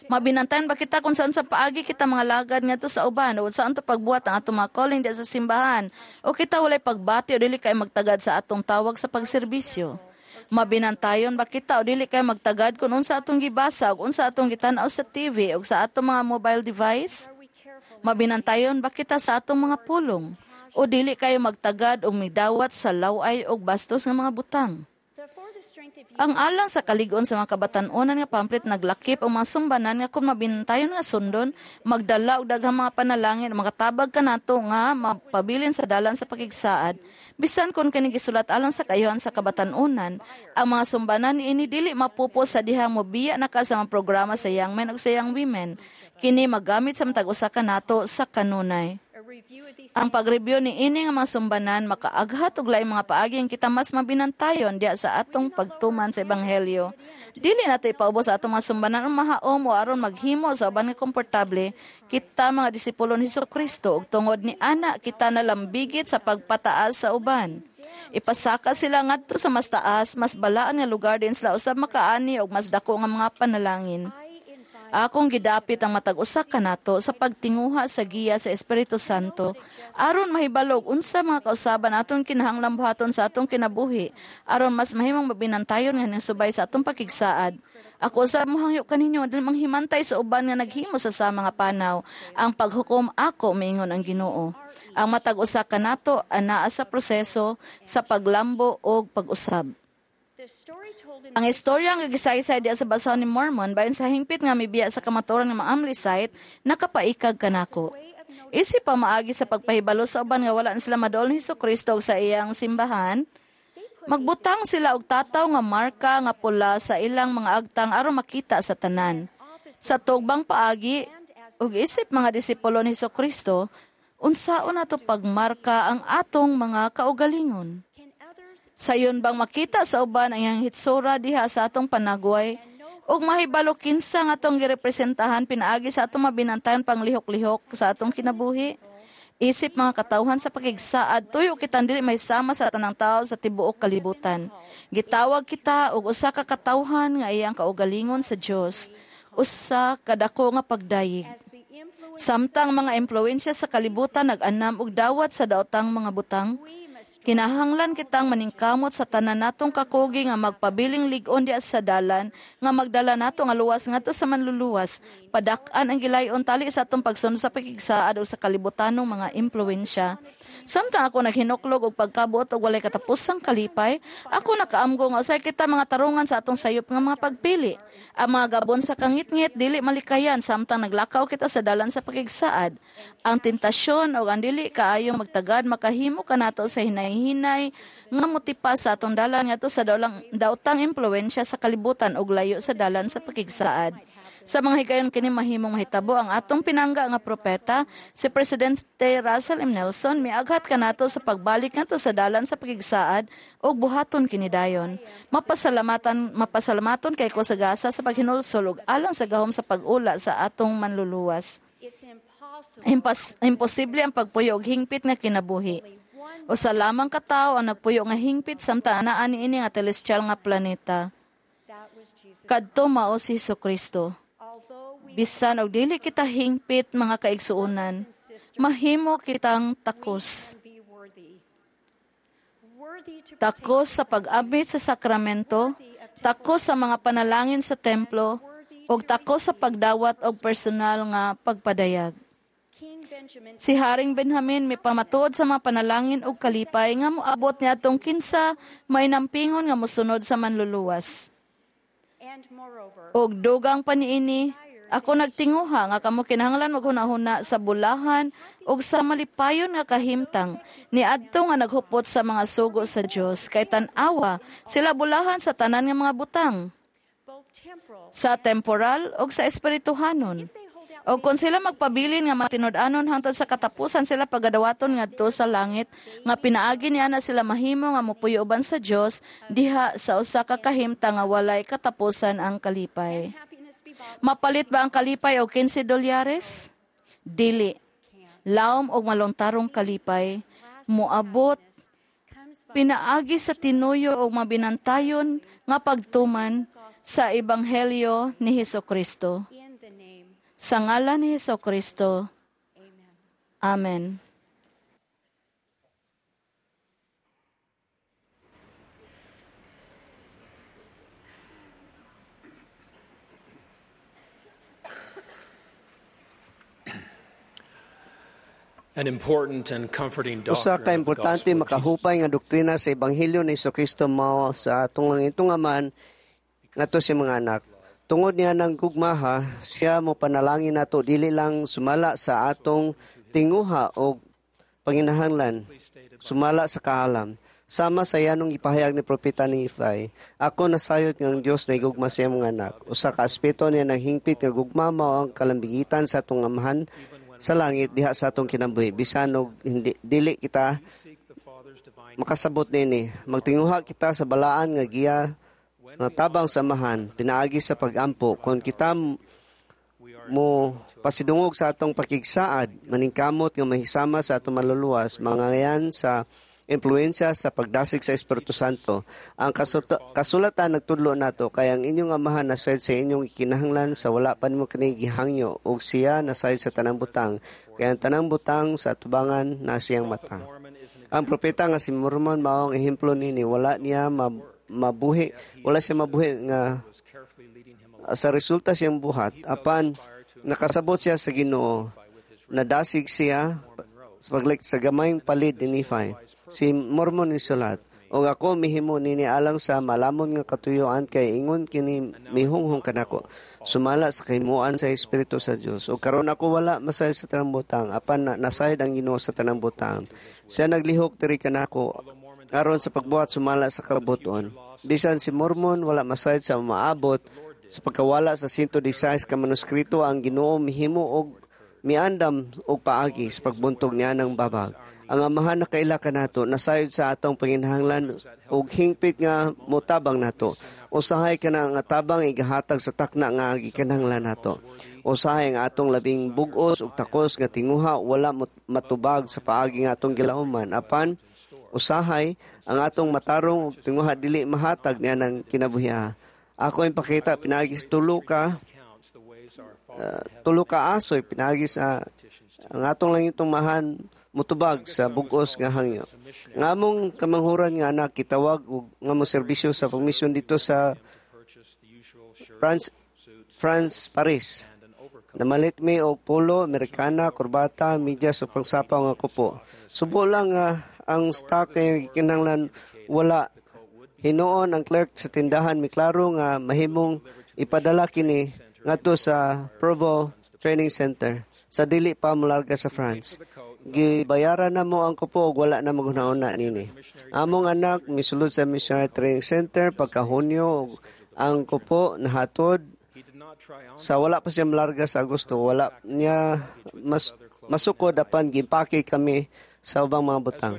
Mabinantayon ba kita kung saan sa paagi kita mga lagad ngadto sa uban o saan to pagbuhat ang atong mga calling diha sa simbahan o kita walay pagbati o dili kay magtagad sa atong tawag sa pagserbisyo? Mabinantayon ba kita o dili kay magtagad kung unsa atong gibasa o unsa atong gitan-aw sa T V o sa atong mga mobile device? Mabinantayon ba kita sa atong mga pulong o dili kayo magtagad o midawat sa laway o bastos nga mga butang? Ang alang sa kalig-on sa mga kabatan-unan nga pamphlet naglakip ang mga sumbanan nga kung mabinantayon nga sundon, magdala og daghang mga panalangin, makatabag kanato nga mapabilin sa dalan sa pakigsaad. Bisan kung kini gisulat alang sa kayuhan sa kabatan-unan, ang mga sumbanan niini dili mapupo sa dihang mobiya na ka sa mga programa sa Young Men ug sa Young Women. Kini magamit sa matag usa ka nato sa kanunay. Ang pag-review ni ini nga mga sumbanan makaaghat og laing mga paagi ang kita mas mabinantayon diha sa atong pagtuman sa ebanghelyo. Dili nato ipaubos sa atong mga sumbanan ang mahaom o aron maghimo sa uban nga komportable kita mga disipulo ni Hesukristo ug tungod ni ana kita nalambigit sa pagpataas sa uban. Ipasaka sila ngadto sa mas taas, mas balaan nga lugar din sila usab makaani og mas dako nga mga panalangin. Akong gidapit ang matag usa kanato sa pagtinguha sa giya sa Espiritu Santo aron mahibalog unsa mga kausaban atong kinahanglan buhaton sa atong kinabuhi aron mas mahimong mabinantayon nga subay sa atong pakigsaad. Ako sa mohangyo kaninyo dili manghimantay sa uban nga naghimo sa sa mga panaw. Ang paghukom ako miingon ang Ginoo. Ang matag usa kanato anaa sa proseso sa paglambo og pag-usab. Ang istorya nga gisaysay diha sa basahon ni Mormon bahin sa hingpit nga mibiya sa kamatuoran nga mga Amlicite nakapaikag kanako. Isip pa maagi sa pagpahibalo sa uban nga wala na sila maduol ni Hesukristo sa iyang simbahan, magbutang sila og tataw nga marka nga pula sa ilang mga agtang aron makita sa tanan. Sa tugbang paagi ug isip mga disipulo ni Hesukristo, unsaon nato pagmarka ang atong mga kaugalingon? Sayon bang makita sa uban ang iyang hitsura diha sa atong panagway ug mahibalo kinsa nga atong girepresentahan pinaagi sa atong mabinantayon panglihok-lihok sa atong kinabuhi? Isip mga katawhan sa pakigsaad, tuyo kitang dili may sama sa tanang tao sa tibuok kalibutan. Gitawag kita og usa ka katawhan nga iyang kaugalingon sa Dios, usa ka dako nga pagdayeg. Samtang mga impluwensya sa kalibutan nag-anam og dawat sa daotang mga butang, Kinahanglan kitang maningkamot sa tanan natong kakugi nga magpabiling lig-on diha sa dalan nga magdala nato nga luwas ngadto sa manluluwas. Padak-an ang gilayon tali sa atong pagsunod sa pakigsaad o sa kalibutanong mga impluwensya. Samtang ako naghinuklog og pagkabuot og walay katapusang kalipay, ako nakaamgo nga usahay kita mga tarungan sa atong sayop nga mga pagpili. Ang mga gabon sa kangitngit dili malikayan samtang naglakaw kita sa dalan sa pakigsaad. Ang tentasyon o ang dili kaayong magtagad makahimo kanato sa hinay-hinay nga motipa sa atong dalan ngadto sa daulang daotang impluwensya sa kalibutan ug layo sa dalan sa pakigsaad. Sa mga higayon kini mahimong mahitabo ang atong pinangga nga propeta si Presidente Russell M. Nelson miaghat kanato sa pagbalik ngadto sa dalan sa pakigsaad ug buhaton kini dayon. Mapasalamatan mapasalamaton kay ko sa gasa sa paghinulsol ug alang sa gahom sa pag-ula sa atong manluluwas. Impas, imposible ang pagpuyo og hingpit nga kinabuhi. Usa lamang ka tawo ang nagpuyo nga hingpit samtang anaa niini nga telestial nga planeta. Kadto mao si Hesukristo. Bisan og dili kita hingpit mga kaigsuonan, mahimo kitang takos. Takos sa pag-abit sa sakramento, takos sa mga panalangin sa templo, ug takos sa pagdawat og personal nga pagpadayag. Si Haring Benjamin mipamatuod sa mga panalangin og kalipay nga moabot niadtong kinsa may nampingon nga mosunod sa manluluwas. Og dugang pa niini, ako nagtinguha nga kamo kinahanglan maghunahuna sa bulahan ug sa malipayon nga kahimtang niadto nga naghupot sa mga sugo sa Dios kay tan-awa sila bulahan sa tanan nga mga butang sa temporal ug sa espirituhanon. O kung sila magpabilin nga matinud-anon hangtod sa katapusan sila pagadawaton ngadto sa langit nga pinaagi niya na sila mahimo nga mopuyo uban sa Dios diha sa usa ka kahimtang nga walay katapusan ang kalipay. Mapalit ba ang kalipay og kinse dolyares? Dili. Laom og malontarong kalipay moabot pinaagi sa tinuyo og mabinantayon nga pagtuman sa ebanghelyo ni Hesukristo. Sa ngalan ni Hesukristo. Amen. An important and comforting Usa doctrine ka of the importante gospel of makahupay nga doktrina sa ebanghelyo ni Hesukristo mao sa atong langitong Amahan ngadto sa mga anak. Tungod niya ng gugmaha, siya mo panalangin nato dili lang sumala sa atong tinguha o panginahanglan, sumala sa kaalam. Sama sa yanong ipahayag ni Propeta ni Ifay, ako nasayod nga ang Dios na igugma sa iyang mga anak. Usa ka aspeto niya ng hingpit nga gugma mao ang kalambigitan sa atong amahan sa langit diha sa atong kinabuhi. Bisan og hindi dili kita makasabot nini, magtinguha kita sa balaan nga giya nga tabang samahan pinaagi sa pagampo. Kon kita mo pasidungog sa atong pakigsaad, maningkamot nga mahisama sa atong maluluwas, mangayan sa impluwensya sa pagdasig sa Espiritu Santo. Ang kasulatan nagtudlo nato kay ang inyong amahan nasayod sa inyong ikinahanglan sa wala pa nimo kini gihangyo, ug siya nasayod sa tanang butang, kay ang tanang butang sa atubangan na siyang mata. Ang propeta nga si Mormon mao ang ehemplo nini. Wala niya mabuhi, wala siya mabuhi nga sa resulta siyang buhat, apan nakasabot siya sa Ginoo, nadasig siya sa paglik sa gamayng palid ni Nephi. Si Mormon ni sulat, og ako mihimo nini alang sa malamon nga katuyoan kay ingon kini mihunghong kanako sumala sa kahimuan sa Espiritu sa Dios. Og karon ako wala masayod sa tanang butang, apan na, nasayod ang Ginoo sa tanang butang. Siya naglihok diri kanako aron sa pagbuhat sumala sa kabuton. Bisan si Mormon wala masayod sa maabot sa pagkawala sa one sixteen ka manuskrito, ang Ginoo mihimo og miandam og paagi sa pagbuntog niya ng babag. Ang amahan nakaila kanato nasayod sa atong panginahanglan og hingpit nga motabang nato. Usahay kana nga tabang igahatag sa takna nga gikinahanglan nato. Usahay ang atong labing bug-os ug takos nga tinguha wala matubag sa paagi nga atong gilauman, apan usahay ang atong matarong ug tinguha dili mahatag niya ng kinabuhi. Ako ipakita pinaagi sa tulo ka uh, tulo ka asoy pinaagi sa Ang atong lang itong mahan mutubag sa bugos nga hangyo. Nga among kamanghuran nga anak kitawag og nga mo serbisyo sa pagmisyon dito sa France France Paris. Namalit mi og polo, Amerikana, kurbata, medyas ug pangsapaw nga kupo. Subo lang nga ang stock kay kinahanglan wala. Hinuon ang clerk sa tindahan miklaro nga mahimong ipadala kini ngadto sa Provo Training Center sa dili pa molarga sa France. Gibayaran na mo ang kupo ug wala na maghuna-huna nini. Among anak misulod sa Missionary Training Center pagka Hunyo ug ang kupo nahatod sa wala pa siya malarga sa Agosto. Wala niya mas masukod apan gimpake kami sa ubang mga butang.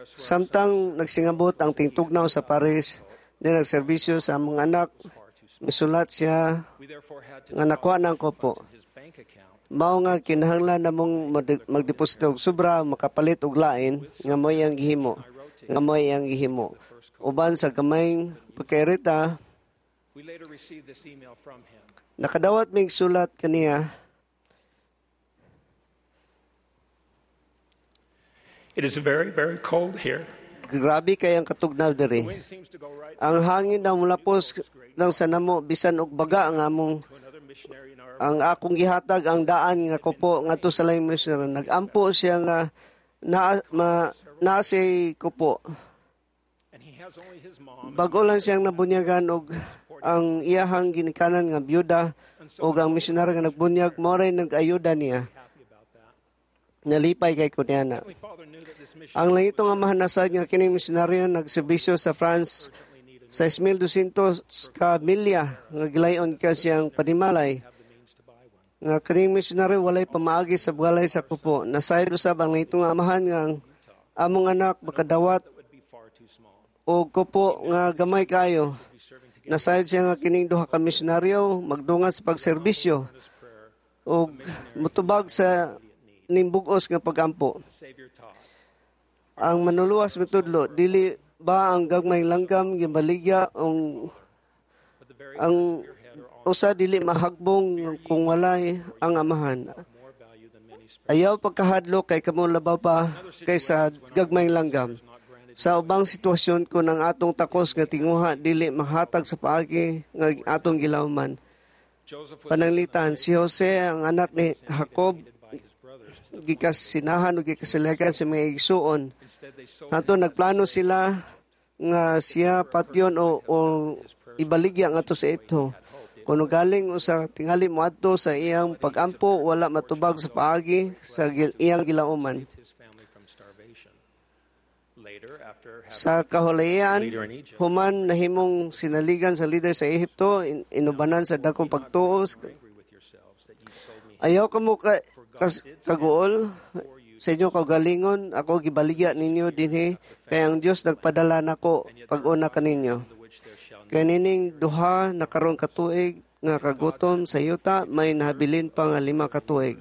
Samtang nagsingabot ang tingtugnaw sa Paris, ni nagserbisyo sa among anak, misulat siya nga nakuha ng kupo. Mao nga kinahanglan namong magdeposito og sobra makapalit og lain nga mo'y ang gihimo, nga mo'y ang gihimo. Uban sa gamayng pagkairita, nakadawat mig sulat kaniya. It is very, very cold here. Grabe kay ang katugnaw diri. Ang hangin na mulapos lang sa namo bisan og baga ang among ang akong gihatag ang daan nga kupo ngadto sa laing missionary. Nagampo siya nga na ma, naa siya'y kupo. Bago lang siyang nabunyagan og ang iyahang ginikanan nga byuda og ang misyonaryo nga nagbunyag mao ray nag-ayuda niya. Nalipay kay kunyana. Ang langitong amahan nasad nga kining misyonaryo nagserbisyo sa France sa two thousand two hundred ka milya nga gilayon ka siyang panimalay. Nga kining misyonaryo walay pamaagi sa bugalay sa kupo. Nasayod usab ang langitong amahan nga ang among anak makadawat og kupo nga gamay kayo. Nasayod siya nga kining duha ka misyonaryo magdungan sa pagserbisyo og mutubag sa nimbugos nga pagampo. Ang manuluwas mitudlo, dili ba ang gagmay langgam gibaligya ang ang usa dili mahagbong kung walay ang amahan. Ayaw pagkahadlok kay kamo labaw pa kaysa gagmay langgam. Sa ubang sitwasyon kun ang atong takos nga tinguha dili mahatag sa paagi nga atong gilawman. Pananglitan, si Jose ang anak ni Jacob gikasinahan o gikasiligan sa mga igsuon. Ato nagplano sila nga siya patyon o, o ibaligya ngadto sa Ehipto. Kuno galing usa tingali moadto sa iyang pagampo, wala matubag sa paagi sa gil, iyang gilauman. Sa kahulayan, human nahimong sinaligan sa leader sa Ehipto, in, inubanan sa dakong pagtuos. Ayaw kamo ka, kas, kaguol sa inyo kaugalingon, ako gibaligya ninyo dinhi, kay ang Dios nagpadala nako pag-una kaninyo. Kay nining duha na karon katuig nga kagutom sa yuta, may nahabilin pa nga lima ka tuig.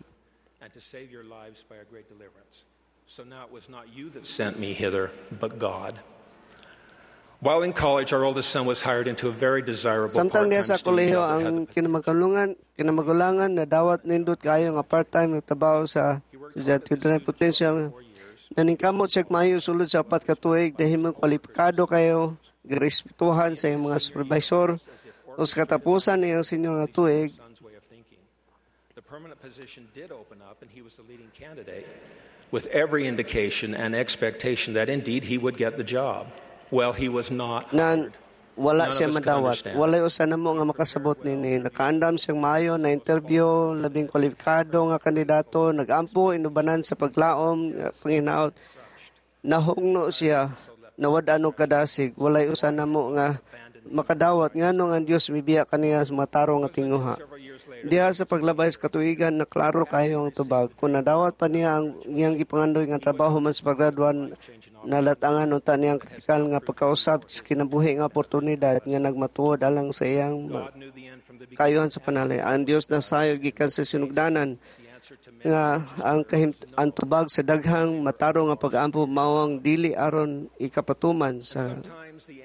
And to save your lives by a great deliverance. So now it was not you that sent me hither, but God. While in college, our oldest son was hired into a very desirable Samtang diha part-time sa student kolehiyo job that had ang the kinamagulangan, kinamagulangan na dawat nindot kaayo nga part-time nga trabaho sa estudyante dunay potential. Naningkamot siya maayo sulod sa upat ka tuig dahil kwalipikado kayo, girespetuhan sa iyang mga supervisor o sa katapusan iyang senior nga tuig. Son's way of thinking. The permanent position did open up, and he was the leading candidate, with every indication and expectation that indeed he would get the job. Well, he was not na hired. Wala None siya of us could madawat. understand. Walay usa namo nga makasabot nini. Nakaandam siyang maayo na interview, labing kwalipikado nga kandidato, nagampo inubanan sa paglaom, nga panginaot. Nahugno siya, nawad-an og kadasig. Walay usa namo nga makadawat ngano nga ang Dios mibiya kaniya sa matarong nga tinguha. Diha sa paglabay sa katuigan na klaro kayo ang tubag. Kung nadawat pa niya ang iyang gipangandoy nga trabaho man sa paggraduan, nalatangan unta niyang kritikal nga pagkausab sa kinabuhi nga oportunidad nga nagmatuod alang sa iyang ma- God knew the end from the beginning. kayuhan sa panalay. Ang Dios nasayod gikan sa sinugdanan nga ang kahim ang tubag sa daghang matarong nga pag-ampo mao ang dili aron ikapatuman sa Sometimes the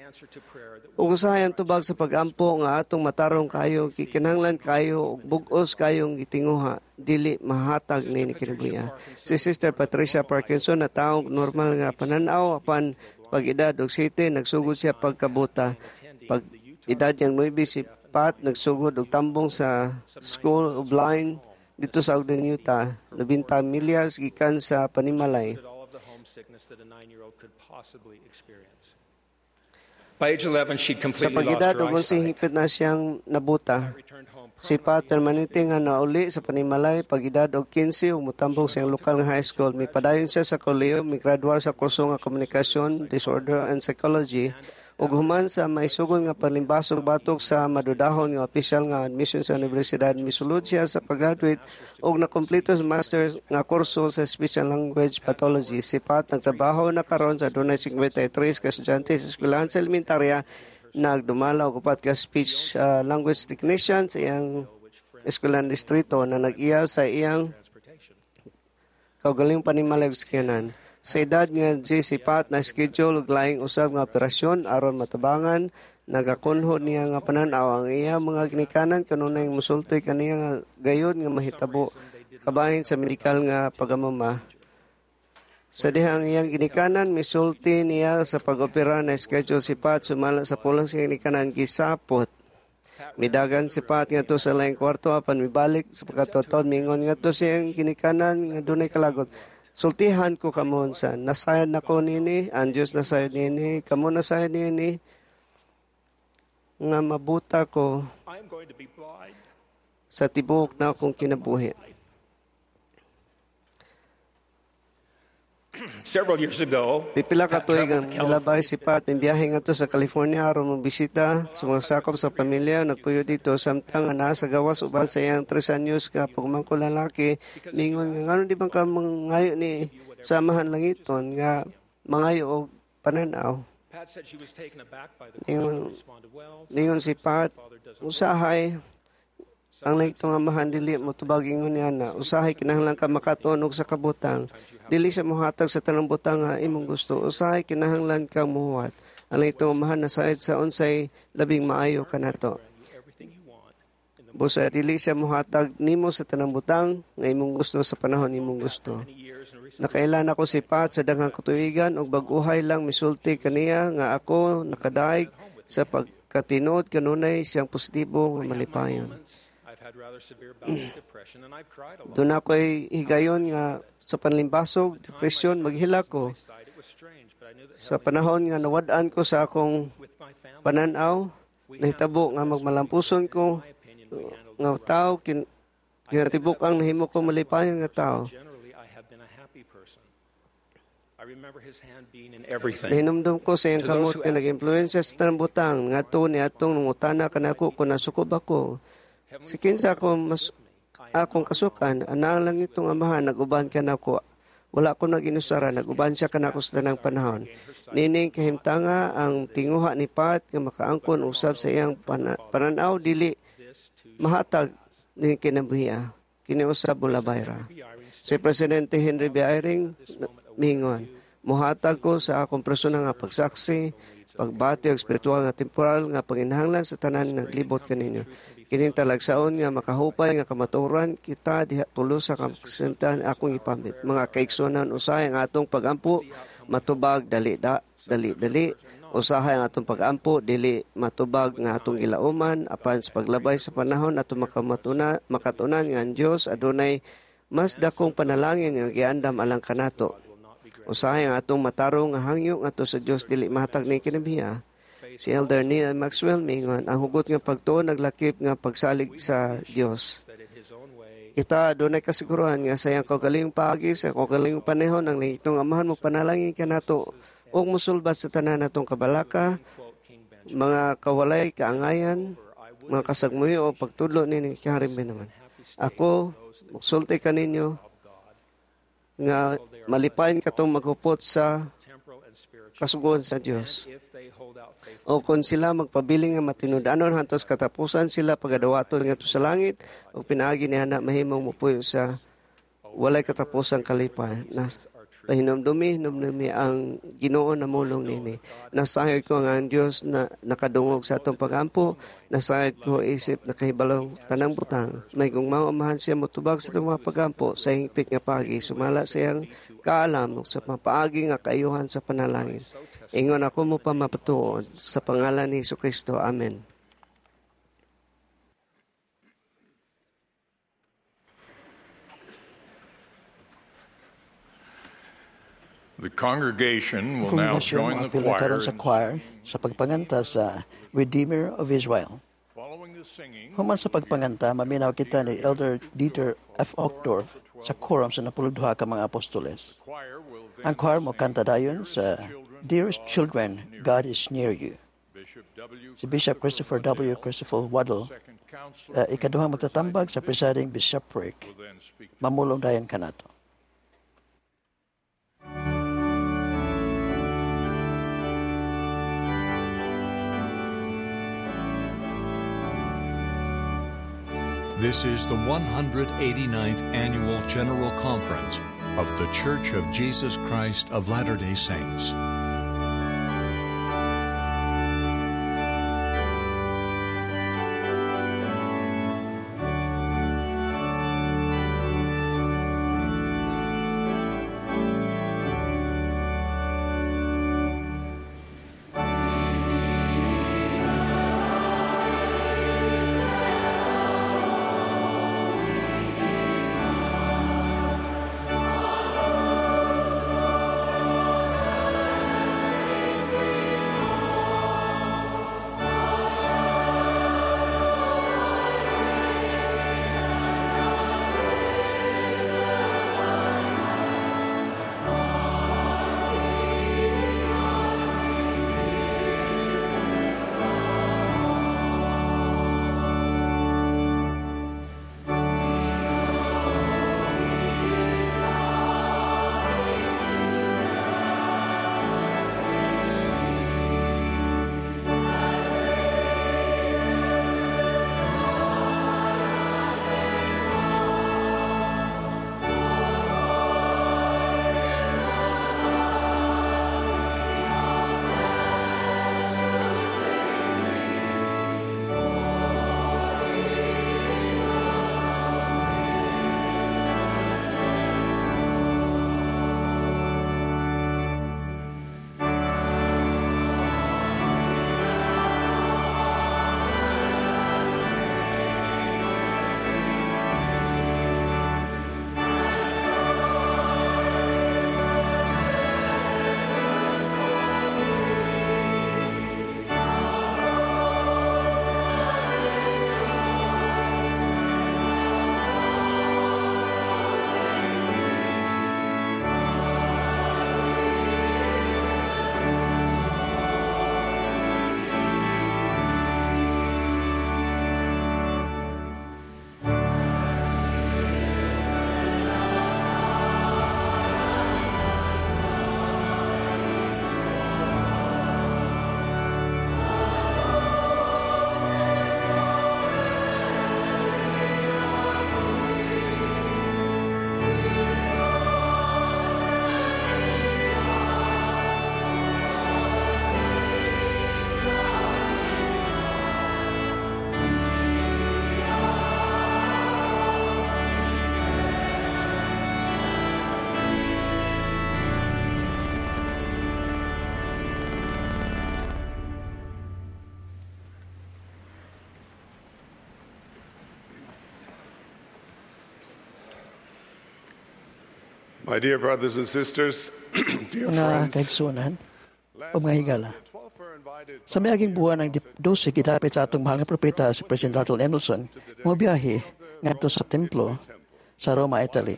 Ug usahay ang tubag sa pagampo nga atong matarong kayo, gikinahanglan kayo ug bug-os kayong gitinguha, dili mahatag ni kinabuhi. Si Sister Patricia Parkinson natawo og normal nga panan-aw, apan pag edad og siyete nagsugod siya pagkabuta. Pag edad niyang nuwebe, si Pat nagsugod og tambong sa School of Blind didto sa Ogden, Utah, labing milyas gikan sa panimalay. All of the homesickness that a nine-year-old could possibly experience. By age eleven, she'd Sa completely lost pag-edad her og onse, eyesight. hingpit na siyang nabuta. Si Pat permanente nga nauli sa panimalay pag edad og kinse ug motambong sa iyang lokal nga high school. Mipadayon siya sa kolehiyo, migraduar sa kurso nga Communication Disorder and Psychology ug human sa maisugon nga panlimbasog batok sa madudahon nga opisyal nga admission sa universidad, misulod siya sa pag-graduate ug nakumpleto sa master nga kurso sa Speech and Language Pathology. Si Pat nagtrabaho na karon sa dunay singkwenta y tres ka estudyante sa eskwelahan sa elementarya, nagdumala og upat ka speech uh, language technician sa iyang eskwelahan distrito na nag-iya sa iyang kaugalingong panimalay ug sakyanan. Sa edad nga diyes, si Pat na schedule og laing usab nga operasyon aron matabangan nagakunhod niya nga panan-aw. Ang iya mga ginikanan kanunay musulti kaniya nga gayud nga mahitabo kabahin sa medikal nga pagamama. Sa dihang iyang ginikanan misulti niya sa pag-opera na schedule si Pat, sumala sa pulong sa ginikanan, gisapot. Midagan si Pat ngadto sa laing kwarto apan mibalik sa pagkatuon, mingon ngadto sa iyang ginikanan nga dunay kalagot, "Sultihan ko kamo unsa nasayod nako nini, ang Dios nasayod nini, kamo nasayod nini nga mabuta ko I am going to be blind. Sa tibuok na akong kinabuhi." Several years ago, Pipila ka tuig ang milabay, si Pat mibiyahe ngadto sa California aron mobisita sa mga sakop sa pamilya nagpuyo didto. Samtang naa sa gawas uban sa iyang tres anyos ka pagmangkon lalaki, mingon nga, "Ngano di man ka mangayo ni sa Amahan langiton nga mangayo og panan-aw?" Pat said she was taken aback by the Ningon, question and responded, "Well, ningon si Pat, "Usahay ang langitong Amahan dili mo tubag ingon niya na usahay kinahanglan ka makatuon og sa kabutang. Dili siya mohatag sa tanang butang nga imong gusto. Usahay kinahanglan ka muhuwat. Ang langitong Amahan nasayod sa unsay labing maayo kanato. Busa dili siya mohatag nimo sa tanang butang nga imong gusto sa panahon imong gusto." Nakaila nako si Pat sa daghang katuigan ug bag-ohay lang misulti kaniya nga ako nakadaig sa pagkatinuod kanunay siyang positibo nga malipayon. I've had rather severe bouts of depression and I've cried a lot. Doon ako'y higayon nga sa panlimbasog, depresyon, maghilak ko. It was strange, but I knew that Sa panahon nga nawad-an ko sa akong pananaw, nahitabo nga magmalampuson ko nga tao, kin, kinatibuk ang nahimo ko malipayon nga tao. Generally I have been a happy person. I remember his hand being in everything. Nahinumdum ko sa iyang To those kamot who nga nag-impluwensya sa tanang butang ngadto ni atong nangutana kanako kung nasukob ako. Si kinsa ako mas akong kasukan, ana ang langitong Amahan nag-uban kanako. Wala ko nag-inusara, nag-uban siya kanako sa tanang panahon. Nining kahimtanga ang tinguha ni Pat nga makaangkon usab sa iyang pana- pananaw dili mahatag ni kinabuhia. Kini usab molabay ra. Si Presidente Henry B. Eyring miingon, "Muhatag ko sa akong personal nga pagsaksi, pagbati og espiritual nga temporal nga panginahanglan sa tanan nga naglibot kaninyo. Kining talagsaon nga makahupay nga kamatuoran kita diha tulo sa kasintahan akong ipamit. Mga kaigsuonan, usahay ang atong pagampo matubag dali da, dali dali. Usahay ang atong pagampo dili matubag nga atong gilauman, apan sa paglabay sa panahon atong makamatuna, makatunan nga ang Dios adunay mas dakong panalangin nga giandam alang kanato. Usahay ang atong matarong nga hangyo ngadto sa Dios dili mahatag ni kinabiha." Si Elder Neil Maxwell mingon, "Ang hugot nga pagtuo naglakip nga pagsalig sa Dios. Kita adunay kasiguruhan nga sa iyang kaugalingong paagi sa kaugalingong panahon ang langitong Amahan mo panalangin kanato ug musulbad sa tanan natong kabalaka, mga kawalay kaangayan, mga kasagmuyo o pagtudlo ni Haring Benjamin. Ako magsulti kaninyo nga malipayon katong maghupot sa kasuguan sa Dios. O kung sila magpabiling nga matinud-anon hantos katapusan, sila pagadawaton ngadto sa langit ug pinaagi ni ana mahimong mopuyo sa walay katapusang kalipay." Na, Pahinumdumi, hinumdumi ang Ginoo namulong nini. Nasayod ko nga ang Dios na nakadungog sa atong pagampo, nasayod ko isip nakahibalong tanang butang. May gugma amahan siya motubag sa atong mga pagampo sa hingpit nga paagi, sumala sa iyang kaalam sa papaagi nga kaayuhan sa panalangin. Ingon ako mo pa mapatuon sa pangalan ni Jesucristo. Amen. The congregation will now Kongregasyon join the moapil na choir karon sa in choir sa pagpanganta sa Redeemer of Israel. Following the singing, Human sa pagpanganta, maminaw kita ni Elder Dieter F. Uchtdorf sa quorum sa napulog duha ka mga apostoles. choir will then Ang choir mo kanta dayon sa Dearest Children, God is Near You. Bishop W. Si Bishop Christopher W. Christopher Waddell, Second Counselor uh, ikaduhang magtatambag sa presiding bishopric, will then speak. mamulong dayon kanato. This is the one hundred eighty-ninth Annual General Conference of The Church of Jesus Christ of Latter-day Saints. My dear brothers and sisters, dear Mga friends, kaigsuonan o mga higala. Sa miaging buwan ng dose gidapit sa atong mahal nga propeta si President Russell M. Nelson, mobiyahe ngadto sa templo sa Roma, Italy.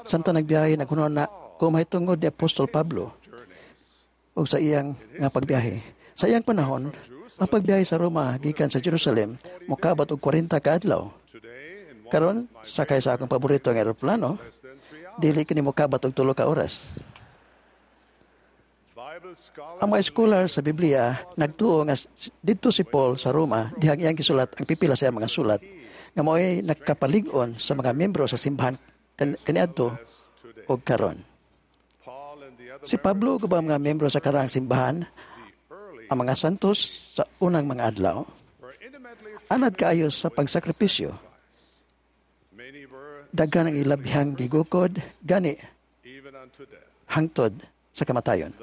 Samtang nagbiyahe naghunahuna na ko mahitungod ni Apostol Pablo ug sa iyang nga pagbiyahe. Sa iyang panahon, ang pagbiyahe sa Roma gikan sa Jerusalem mokabat og kwarenta ka adlaw. Karon, sakay sa akong paborito nga eroplano, dili kini mokabat og tulo ka oras. Ang mga scholar sa Biblia nagtuo nga didto si Paul sa Roma dihang iyang gisulat ang pipila sa iyang mga sulat nga mao'y nagkapalig-on sa mga miyembro sa simbahan kan kaniadto og karon. Si Pablo ug ubang mga miyembro sa karaang simbahan, ang mga santos sa unang mga adlaw, anad kaayo sa pagsakripisyo. Daghan ang ilabihang gigukod, gani hangtod sa kamatayon.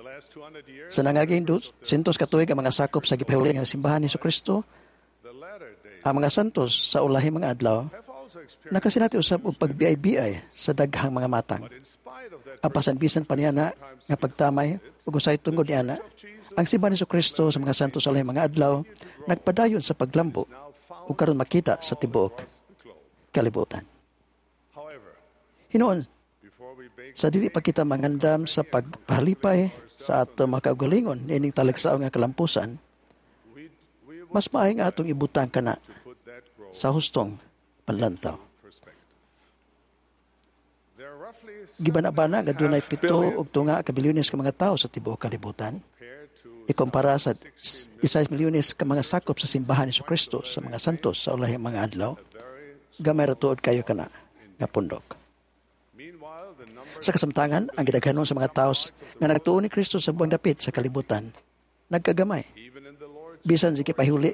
Sa nangaging sentos ka tuig, ang mga sakop sa gipahuli nga simbahan ni Kristo, ang mga santos sa ulahing mga adlaw, nakasinati usab og pagbiay-biay sa daghang mga matang. Apasan bisan pa niya na nga pagtamay ug usay tungod niana, ang simbahan ni Kristo sa mga santos sa ulahing mga adlaw nagpadayon sa paglambo ug karon makita sa tibuok kalibutan. Hinuon, sa dili pa kita mangandam sa pagpahalipay sa ato makaugalingon niining talagsaon nga kalampusan, mas maayo nga atong ibutang kana sa hustong panlantaw. Gibana-bana nga dunay pito og tunga ka bilyones ka mga tawo sa tibuok kalibutan. Ikumpara sa isay milyones ka mga sakop sa simbahan ni Kristo sa mga santos sa ulahing mga adlaw, gamay ra tuod kayo kana nga pundok. Sa kasamtangan, ang gidaghanon sa mga tawo nga nagtuo ni Kristo sa buang dapit sa kalibutan, nagkagamay. Bisan sa gipahuli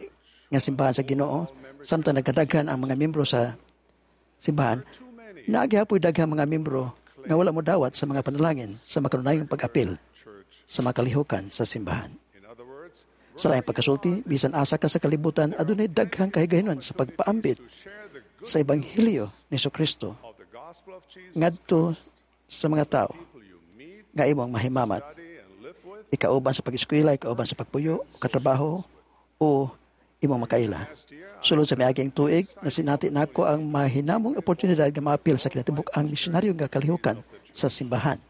nga simbahan sa Ginoo, samtang nagkadaghan ang mga miyembro sa simbahan, naa gihapoy daghang mga miyembro nga wala mo dawat sa mga panalangin sa makanunayong pag-apil sa makalihukan sa simbahan. Sa laing pagkasulti, bisan asa ka sa kalibutan, adunay daghang kahigayonon sa pagpaambit sa Ebanghelyo ni Kristo ngadto sa mga tao nga imong mahimamat, ikauban sa pag-eskwela, ikauban sa pagpuyo, katrabaho, o imong makaila. Sulod sa miaging tuig, nasinati nako ang mahinamong oportunidad nga maapil sa kinatibuk-ang misyonaryo nga kalihukan sa simbahan.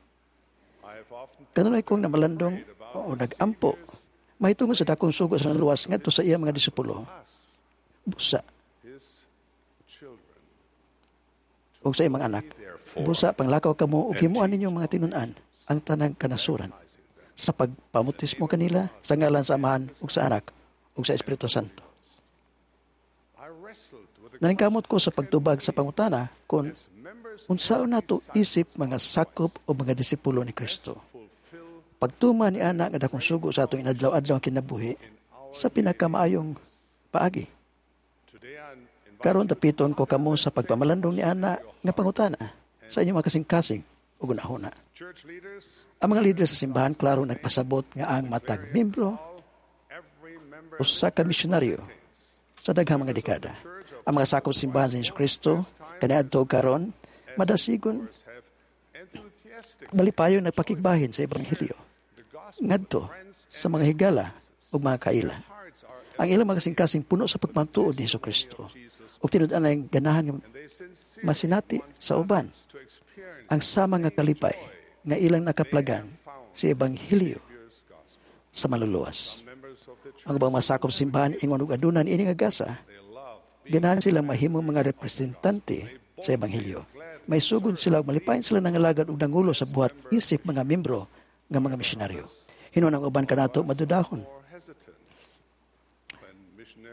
Kanunay kong namalandong o nagampo mahitungod sa dakong sugo sa luwas ngadto sa iya mga disipulo. Busa ug sa imong anak, busa panglakaw kamo ug himuan ninyong mga tinun-an ang tanang kanasuran sa pagpamutismo kanila sa ngalan sa Amahan ug sa Anak ug sa Espiritu Santo. Naningkamot ko sa pagtubag sa pangutana kung unsaon nato isip mga sakop o mga disipulo ni Kristo. Pagtuma ni ana nga dakong sugo sa atong inadlaw-adlaw ang kinabuhi sa pinakamaayong paagi. Karon dapiton ko kamo sa pagpamalandong ni ana nga pangutana sa inyong mga kasing-kasing ug hunahuna. Ang mga leader sa simbahan klaro nagpasabot nga ang matag miyembro usa ka misyonaryo sa daghang mga dekada. Ang mga sakop sa simbahan sa Hesus Kristo kaniadto karon madasigon malipayon nagpakigbahin sa ebanghelyo ngadto sa mga higala ug mga kaila. Ang ilang mga kasing-kasing puno sa pagmatuod ni Hesus Kristo ug tinud-an ang ganahan nga masinati sa uban ang sama nga kalipay nga ilang nakaplagan sa ebanghelyo sa maluluwas. Ang ubang masakop simbahan ingon og adunan ini nga gasa, ganahan silang mahimong mga representante sa ebanghelyo. May sugon sila ug malipayon sila nangalagad og nangulo sa buhat isip mga membro nga mga misyonaryo. Hinuon ang uban kanato madudahon.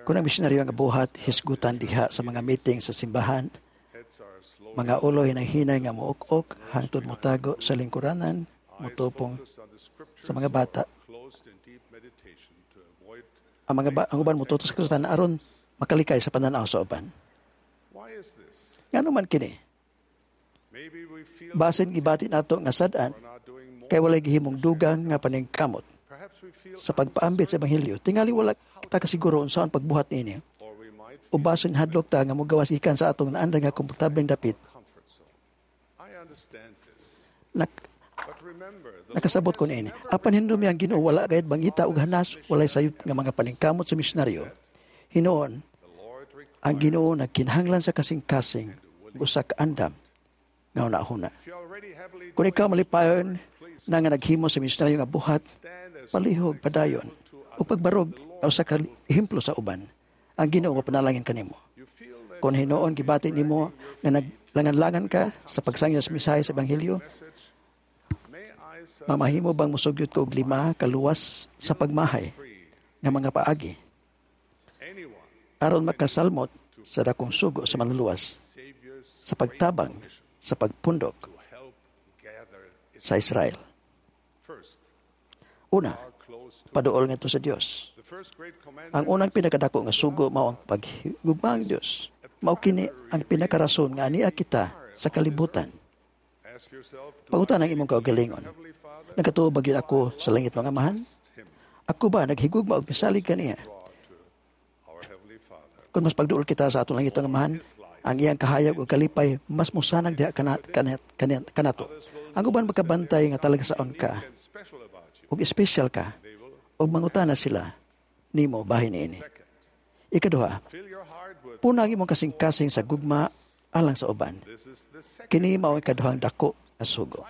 Kung ang misyonaryo nga buhat hisgutan diha sa mga meeting sa simbahan, mga ulo hinay-hinay nga muok-ok hangtod motago sa lingkuranan, motupong sa mga bata. Ang mga ba, ang uban motutok sa kasulatan aron makalikay sa pananaw sa uban. Ngano man kini? Basin gibati nato nga sad-an kay walay gihimong dugang nga paningkamot sa pagpaambit sa ebanghelyo. Tingali wala kita kasiguro unsaon pagbuhat niini. O basin hadlok ta nga mogawas gikan sa atong naandan nga komportableng dapit. Nak nakasabot ko niini. Apan hinumdumi ang Ginoo wala gayud mangita og hanas, walay sayop nga mga paningkamot sa misyonaryo. Hinuon, ang Ginoo nagkinahanglan sa kasing-kasing ug usa ka andam nga hunahuna. Kung ikaw malipayon na nga naghimo sa misyonaryo nga buhat, palihog padayon o pagbarog nga usa ka ehemplo sa uban, ang Ginoo mapanalangin kanimo. Kung hinuon gibati nimo nga naglangan-langan ka sa pagsangyo sa mensahe sa ebanghelyo, mamahimo bang mosugyot ko og lima kaluwas sa pagmahay nga mga paagi aron makasalmot sa dakong sugo sa manluluwas sa pagtabang sa pagpundok sa Israel. Una, paduol ngadto sa Dios. Ang unang pinakadako nga sugo mao ang paghigugma ang Dios. Mao kini ang pinakarason nga ania kita sa kalibutan. Pangutan ang imong kaugalingon. Nagatuo ba gyud ako sa langit mga amahan? Ako ba naghigugma og misalig kaniya? Kung mas pagduol kita sa atong langit nga amahan, ang iyang kahayag ug kalipay mas mosanag diha kana, kana, kana, kanato. Ang uban makabantay nga talagsaon ka ug espesyal ka ug mangutana sila nimo bahin niini. Ikaduha, puna ang imong kasing-kasing sa gugma alang sa uban. Kini mao ang ikaduhang dako nga sugo.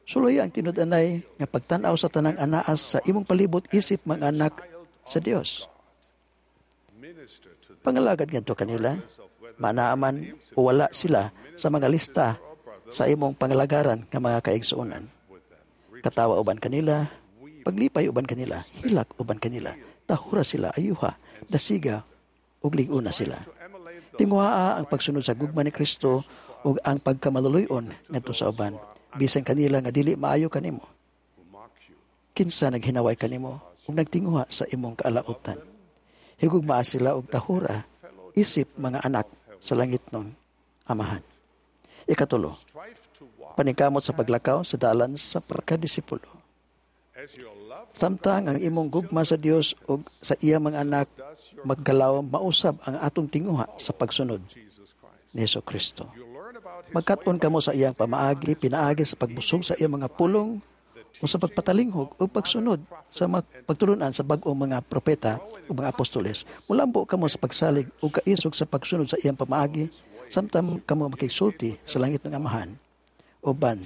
Suloy ang tinud-anay nga pagtan-aw sa tanang anaas sa imong palibot isip mga anak sa Dios. Pangalagad ngadto kanila, manaaman o wala sila sa mga lista sa imong pangalagaran nga mga kaigsuonan. Katawa uban kanila, paglipay uban kanila, hilak uban kanila, tahura sila, ayuha, dasiga, ug lig-una sila. Tinguhaa ang pagsunod sa gugma ni Kristo ug ang pagkamaluluy-on ngadto sa uban, bisan kanila nga dili maayo kanimo. Kinsa naghinaway kanimo ug nagtinguha sa imong kaalautan. Higugmaa sila og tahura, isip mga anak sa langit ng amahan. Ikatulo, paningkamot sa paglakaw sa dalan sa pagkadisipulo. Samtang ang imong gugma sa Dios ug sa iya mga anak maggalaw, mausab ang atong tinguha sa pagsunod ni Hesus Kristo. Magkat-on kamo sa iyang pamaagi, pinaagi sa pagbusog sa iyang mga pulong o sa pagpatalinghog o pagsunod sa mga pagtulunan sa bag-ong mga propeta o mga apostoles. Mulambo kamo sa pagsalig o kaisog sa pagsunod sa iyang pamaagi, samtang kamo makigsulti sa langit ng Amahan uban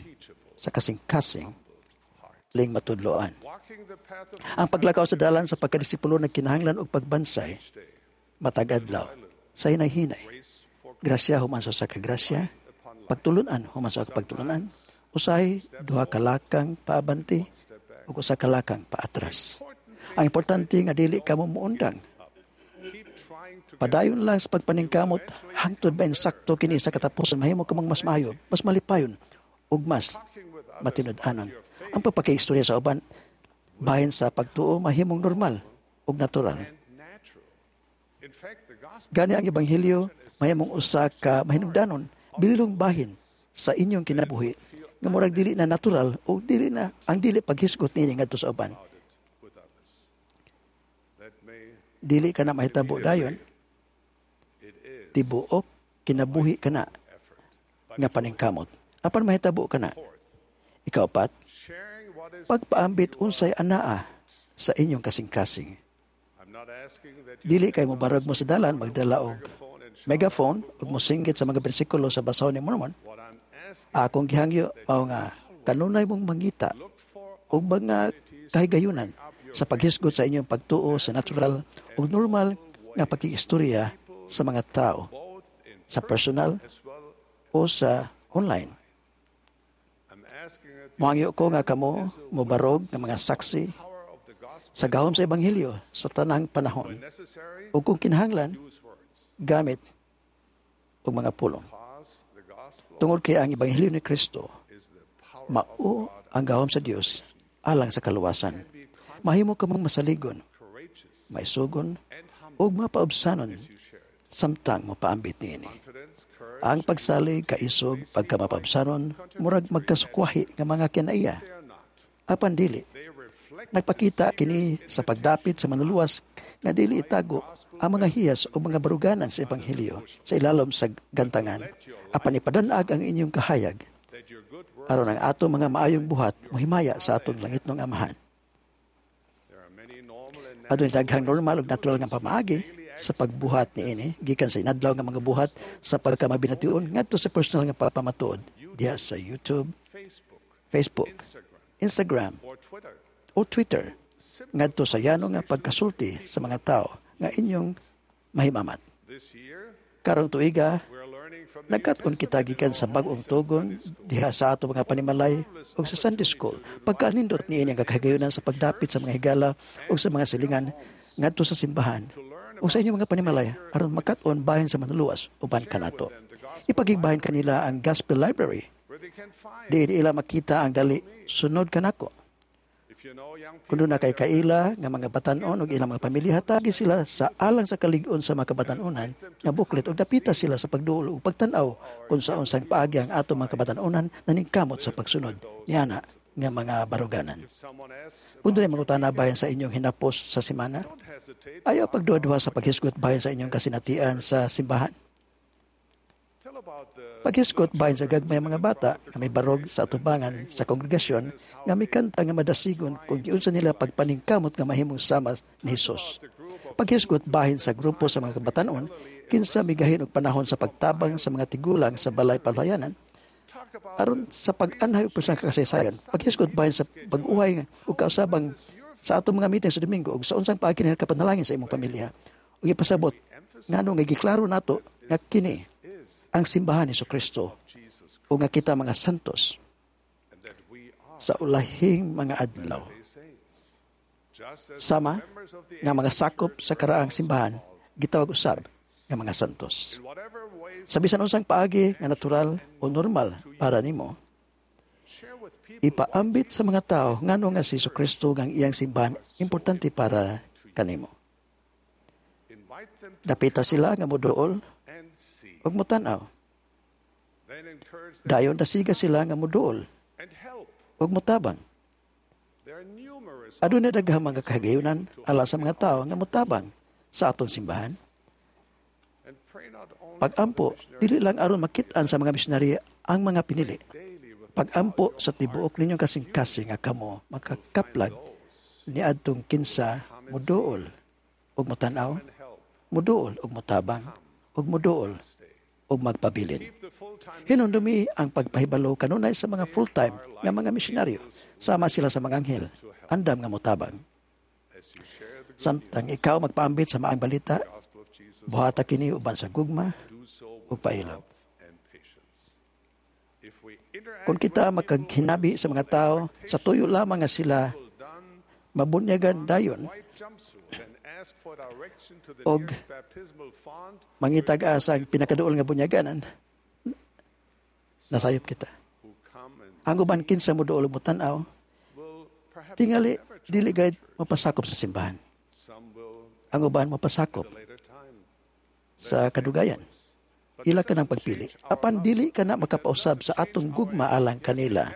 sa kasing-kasing ling matudloan. Ang paglakaw sa dalan sa pagkadisipulo nagkinahanglan og pagbansay matag adlaw sa hinay-hinay. Grasya human sa kagrasya, pagtulunan human sa pagtulunan, usahay duha ka lakang paabante ug usa ka lakang paatras. Ang importante nga dili kamo muundang. Padayon lang sa pagpaningkamot hangtod ba insakto kini sa katapusan mahimo kamong mas maayo, mas malipayon ug mas matinud-anon. Ang pagpakiistorya sa uban bahin sa pagtuo mahimong normal ug natural. Gani ang ebanghelyo mahimong usa ka mahinungdanon bililong bahin sa inyong kinabuhi nga murag dili na natural o dili na ang dili paghisgot niini ngadto sa uban. Dili ka na mahitabo dayon, tibuok kinabuhi ka na nga paningkamot. Apan mahitabo ka na. Ikaapat, pagpaambit unsay anaa sa inyong kasing-kasing. Dili kay mobarag mo sa dalan magdala og megaphone ug mosinggit sa mga bersikulo sa basahon ni Mormon. Akong gihangyo mao nga kanunay mong mangita og mga kahigayunan sa paghisgot sa inyong pagtuo sa natural ug normal nga pakiistorya sa mga tao, sa personal o sa online. Mohangyo ko nga kamo mobarog nga mga saksi sa gahom sa ebanghelyo sa tanang panahon ug kung kinahanglan gamit og mga pulong. Tungod kay ang ebanghelyo ni Kristo mao ang gahom sa Dios alang sa kaluwasan. Mahimo kamong masaligon, maisugon ug mapaubsanon samtang mopaambit niini. Ang pagsalig, kaisog, pagkamapabsanon, murag magkasukwahi nga mga kinaiya. Apan dili. Nagpakita kini sa pagdapit sa manluluwas nga dili itago ang mga hiyas o mga baruganan sa ebanghelyo sa ilalom sa gantangan. Apan ipadanag ang inyong kahayag aron ang ato mga maayong buhat mohimaya sa atong langitnong Amahan. Adunay daghang normal ug natural nga pamaagi sa pagbuhat niini gikan sa inadlaw nga mga buhat sa pagkamabination ngadto sa personal nga pamatuod diha sa YouTube, Facebook, Instagram o Twitter ngadto sa yano nga pagkasulti sa mga tao nga inyong mahimamat. Karong tuiga, nagkat-on kita gikan sa bag-ong tugon diha sa ato mga panimalay ug sa Sunday School. Pagkanindot niini ang kakahigayunan sa pagdapit sa mga higala ug sa mga silingan ngadto sa simbahan o sa inyong mga panimalay aron makat-on bahin sa manluluwas uban kanato. Ipagigbahin kanila ang Gospel Library. Diin ila makita ang dali sunod kanako. Kung duna kay kaila nga mga batan-on ug ilang mga pamilya, hatagi sila sa Alang sa Kalig-on sa mga Kabatan-onan nga booklet ug dapita sila sa pagduol ug pagtan-aw kung sa unsang paagi ang atong mga kabatan-onan naningkamot sa pagsunod niana nga mga baruganan. Kung dunay mangutana bahin sa inyong hinapos sa semana, ayaw pagduha-duha sa paghisgot bahin sa inyong kasinatian sa simbahan. Paghisgot bahin sa gagmay mga bata nga may barog sa atubangan sa kongregasyon nga mikanta nga madasigon kung giunsa nila pagpaningkamot nga mahimong sama ni Hesus. Paghisgot bahin sa grupo sa mga kabatan-on kinsa migahin og panahon sa pagtabang sa mga tigulang sa balay palayanan aron sa pag-anhay ug sa kasaysayan. Paghisgot bahin sa pag-uhay ug kausabang sa atong mga meeting sa Domingo ug sa unsang paagi nila kapanalangin sa imong pamilya. Ug ipasabot ngano nga giklaro nato nga kini ang simbahan ni Kristo o nga kita mga santos sa ulahing mga adlaw. Sama nga mga sakop sa karaang simbahan gitawag usab nga mga santos. Sa bisan unsang paagi nga natural o normal para nimo, ipaambit sa mga tao ngano nga si Kristo nga ang iyang simbahan importante para kanimo. Dapita sila nga moduol ug motan-aw. Dayon dasiga sila nga moduol ug motabang. Aduna daghang mga kahigayunan ala sa mga tao nga motabang sa atong simbahan. Pagampo, dili lang aron makit-an sa mga misyonaryo ang mga pinili. Pagampo sa tibuok ninyong kasing-kasing nga kamo makakaplag niadtong kinsa moduol ug motan-aw, moduol ug motabang, ug moduol ug magpabilin. Hinumdumi ang pagpahibalo kanunay sa mga full-time nga mga misyonaryo. Sama sila sa mga anghel, andam nga motabang. Samtang ikaw magpaambit sa maayong balita, buhata kini uban sa gugma ug pailog. Kung kita makaghinabi sa mga tao, sa tuyo lamang nga sila mabunyagan dayon og mangitag asa ang pinakaduol nga bunyaganan, nasayop kita. Ang uban kinsa mo duol mo tan-aw, tingali dili gayud mapasakop sa simbahan. Ang uban mapasakop sa kadugayan. Ila ka ng pagpili. Apan dili ka na makapausab sa atong gugma alang kanila.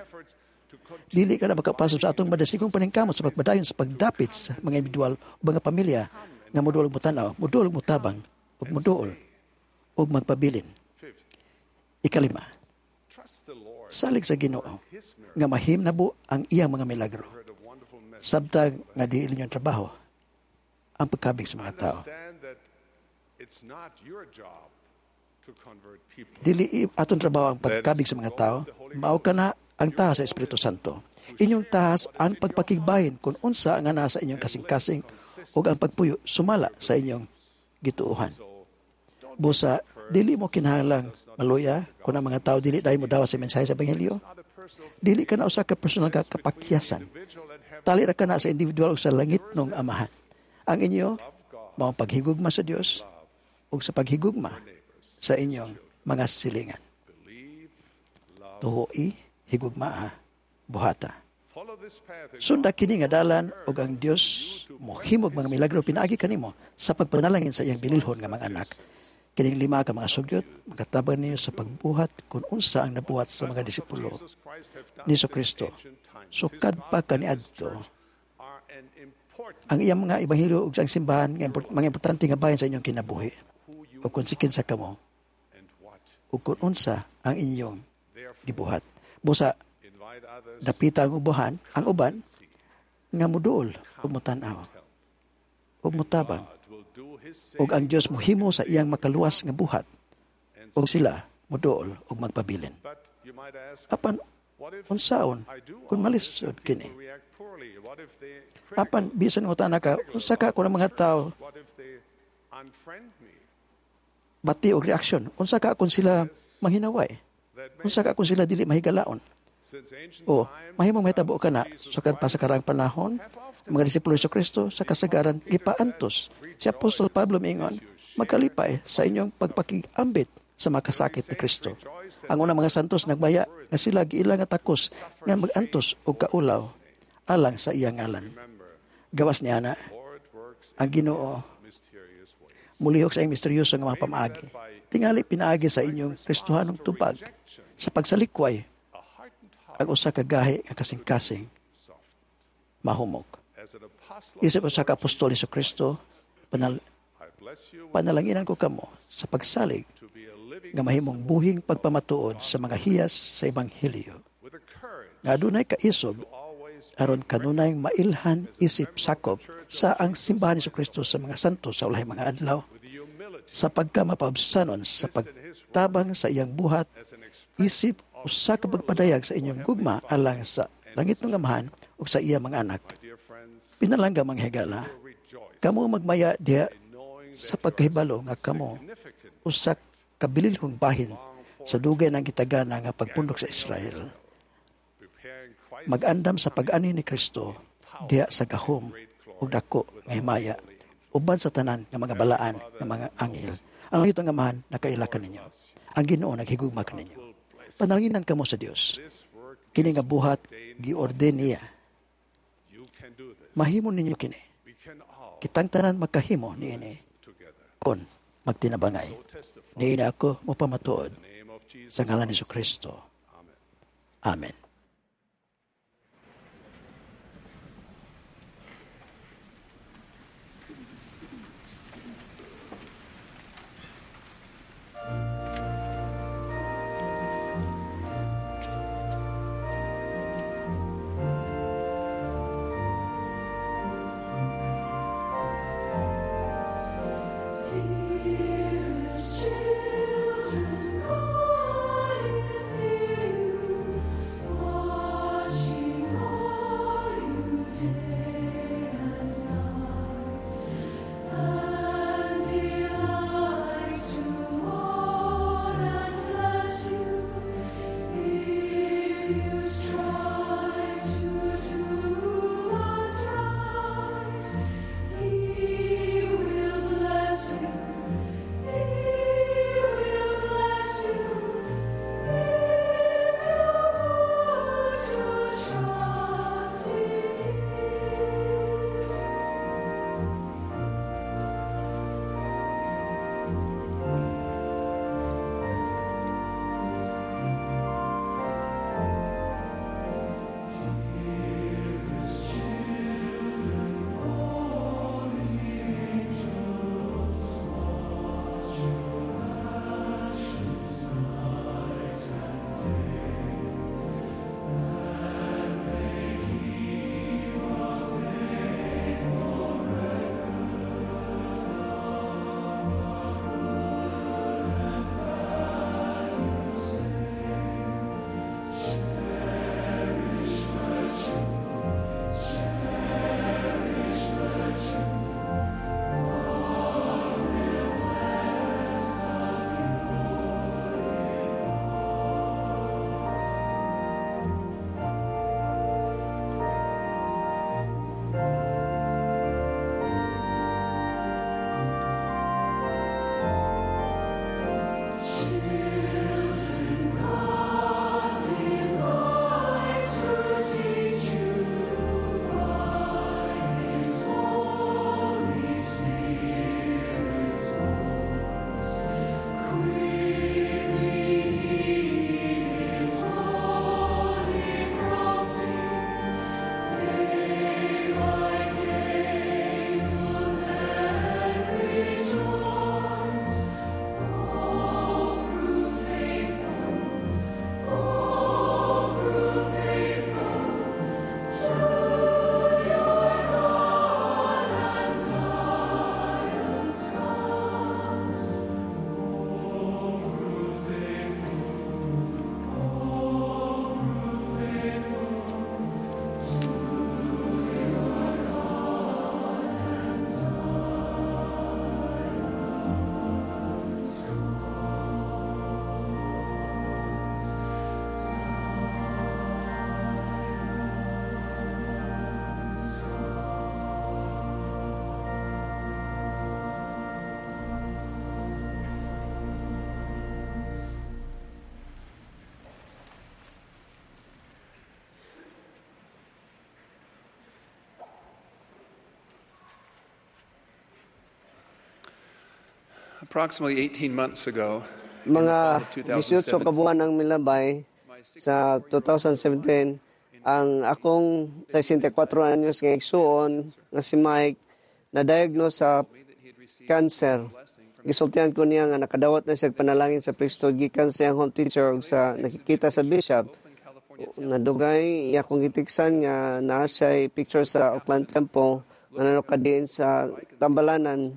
Dili ka na makapausab sa atong madasigong paningkamot sa pagpadayon sa pagdapit sa mga individual o mga pamilya nga moduol og motanaw, moduol og motabang, ug moduol ug magpabilin. Ikalima, salig sa Ginoo nga mahimnabo ang iyang mga milagro. Sabtang nga dili inyong trabaho ang pagkabig sa mga tao. Dili atong trabaho ang pagkabig sa mga tao, mao ka na ang tahas sa Espiritu Santo. Inyong tahas ang pagpakigbahin kung unsa nga naa sa inyong kasing-kasing ug ang pagpuyo sumala sa inyong gituohan. Busa, dili mo kinahanglang maluya kung ang mga tao dili dahil mo dawa sa mensahe sa Ebanghelyo. Dili ka na usa ka personal ka kapakyasan. Tali ra ka na sa individual ug sa langit nung amahan. Ang inyo mao ang paghigugma sa Dios ug sa paghigugma sa inyong mga silingan. Tuoi, higugmaa, buhata. Sunda kini nga dalan ug ang Dios mohimog mga milagro pinaagi kanimo sa pagpanalangin sa iyang bililhon nga mga anak. Kining lima ka mga sugyot makatabang ninyo sa pagbuhat kung unsa ang nabuhat sa mga disipulo ni Kristo. Sukad pa kaniadto ang iyang mga ebanghelyo ug ang simbahan nga mga importante nga bahin sa inyong kinabuhi. Ug kung sikin sa kamo ug kung unsa ang inyong gibuhat. Busa dapita ang ubuhan, ang uban nga moduol ug motan-aw ug motabang ug ang Dios mohimo sa iyang makaluwas nga buhat ug sila moduol ug magpabilin. Apan unsaon kung malisod kini? Apan bisan ngutana ka, unsa ka kung ang mga tao bati og reaksyon? Unsa ka kung sila manghinaway? Unsa ka kung sila dili mahigalaon? O, mahimong mahitabo ka na, sukad pa sa karaang panahon, mga disipulo ni Kristo sa kasagaran gipaantos. Si Apostol Pablo miingon, magkalipay sa inyong pagpakiambit sa makasakit ni Kristo. Ang unang mga santos nagbaya nga sila giila nga takos nga magantos og kaulaw alang sa iyang ngalan. Gawas ni ana, ang Ginoo mulihok sa iyang misteryoso nga mga pamaagi. Tingali pinaagi sa inyong Kristohanong tubag sa pagsalikway ang usa ka gahi nga kasing-kasing mahumok. Isip usa ka apostol ni Kristo, panal panalanginan ko kamo sa pagsalig nga mahimong buhing pagpamatuod sa mga hiyas sa ebanghelyo. Nga adunay kaisog aron kanunay mailhan isip sakop sa ang simbahan ni Kristo sa mga santo sa ulahi mga adlaw sa pagka mapaubsanon sa pagtabang sa iyang buhat isip usa ka pagpadayag sa inyong gugma alang sa langit ng Amahan ug sa iya mga anak. Pinalangga mga higala, kamo magmaya diha sa pagkahibalo nga kamo usa ka bililhong bahin sa dugay ng gitagana nga pagpundok sa Israel. Mag-andam sa pag-ani ni Kristo diha sa gahom ug dako nga himaya uban sa tanan nga mga balaan nga mga anghel. Ang langit nga Amahan nakaila kaninyo. Ang Ginoo naghigugma kaninyo. Panalanginan kamo sa Dios. Kini nga buhat giorden niya. Mahimo ninyo kini. Kitang tanan makahimo niini kon magtinabangay. Niini ako mopamatuod sa ngalan ni Kristo. Amen. Dearest children, God is near. Approximately eighteen months ago, Mga eighteen ka buwan ang milabay, sa twenty seventeen, ang akong sesenta y kuwatro anyos nga igsuon nga si Mike na-diagnose sa cancer. Gisultihan ko niya nga nakadawat na siya panalangin sa priesthood gikan sa iyang home teacher ug sa nakikita sa bishop. Nadugay iya akong gitiksan nga naa siya picture sa Oakland Temple nga nakadiin sa tambalanan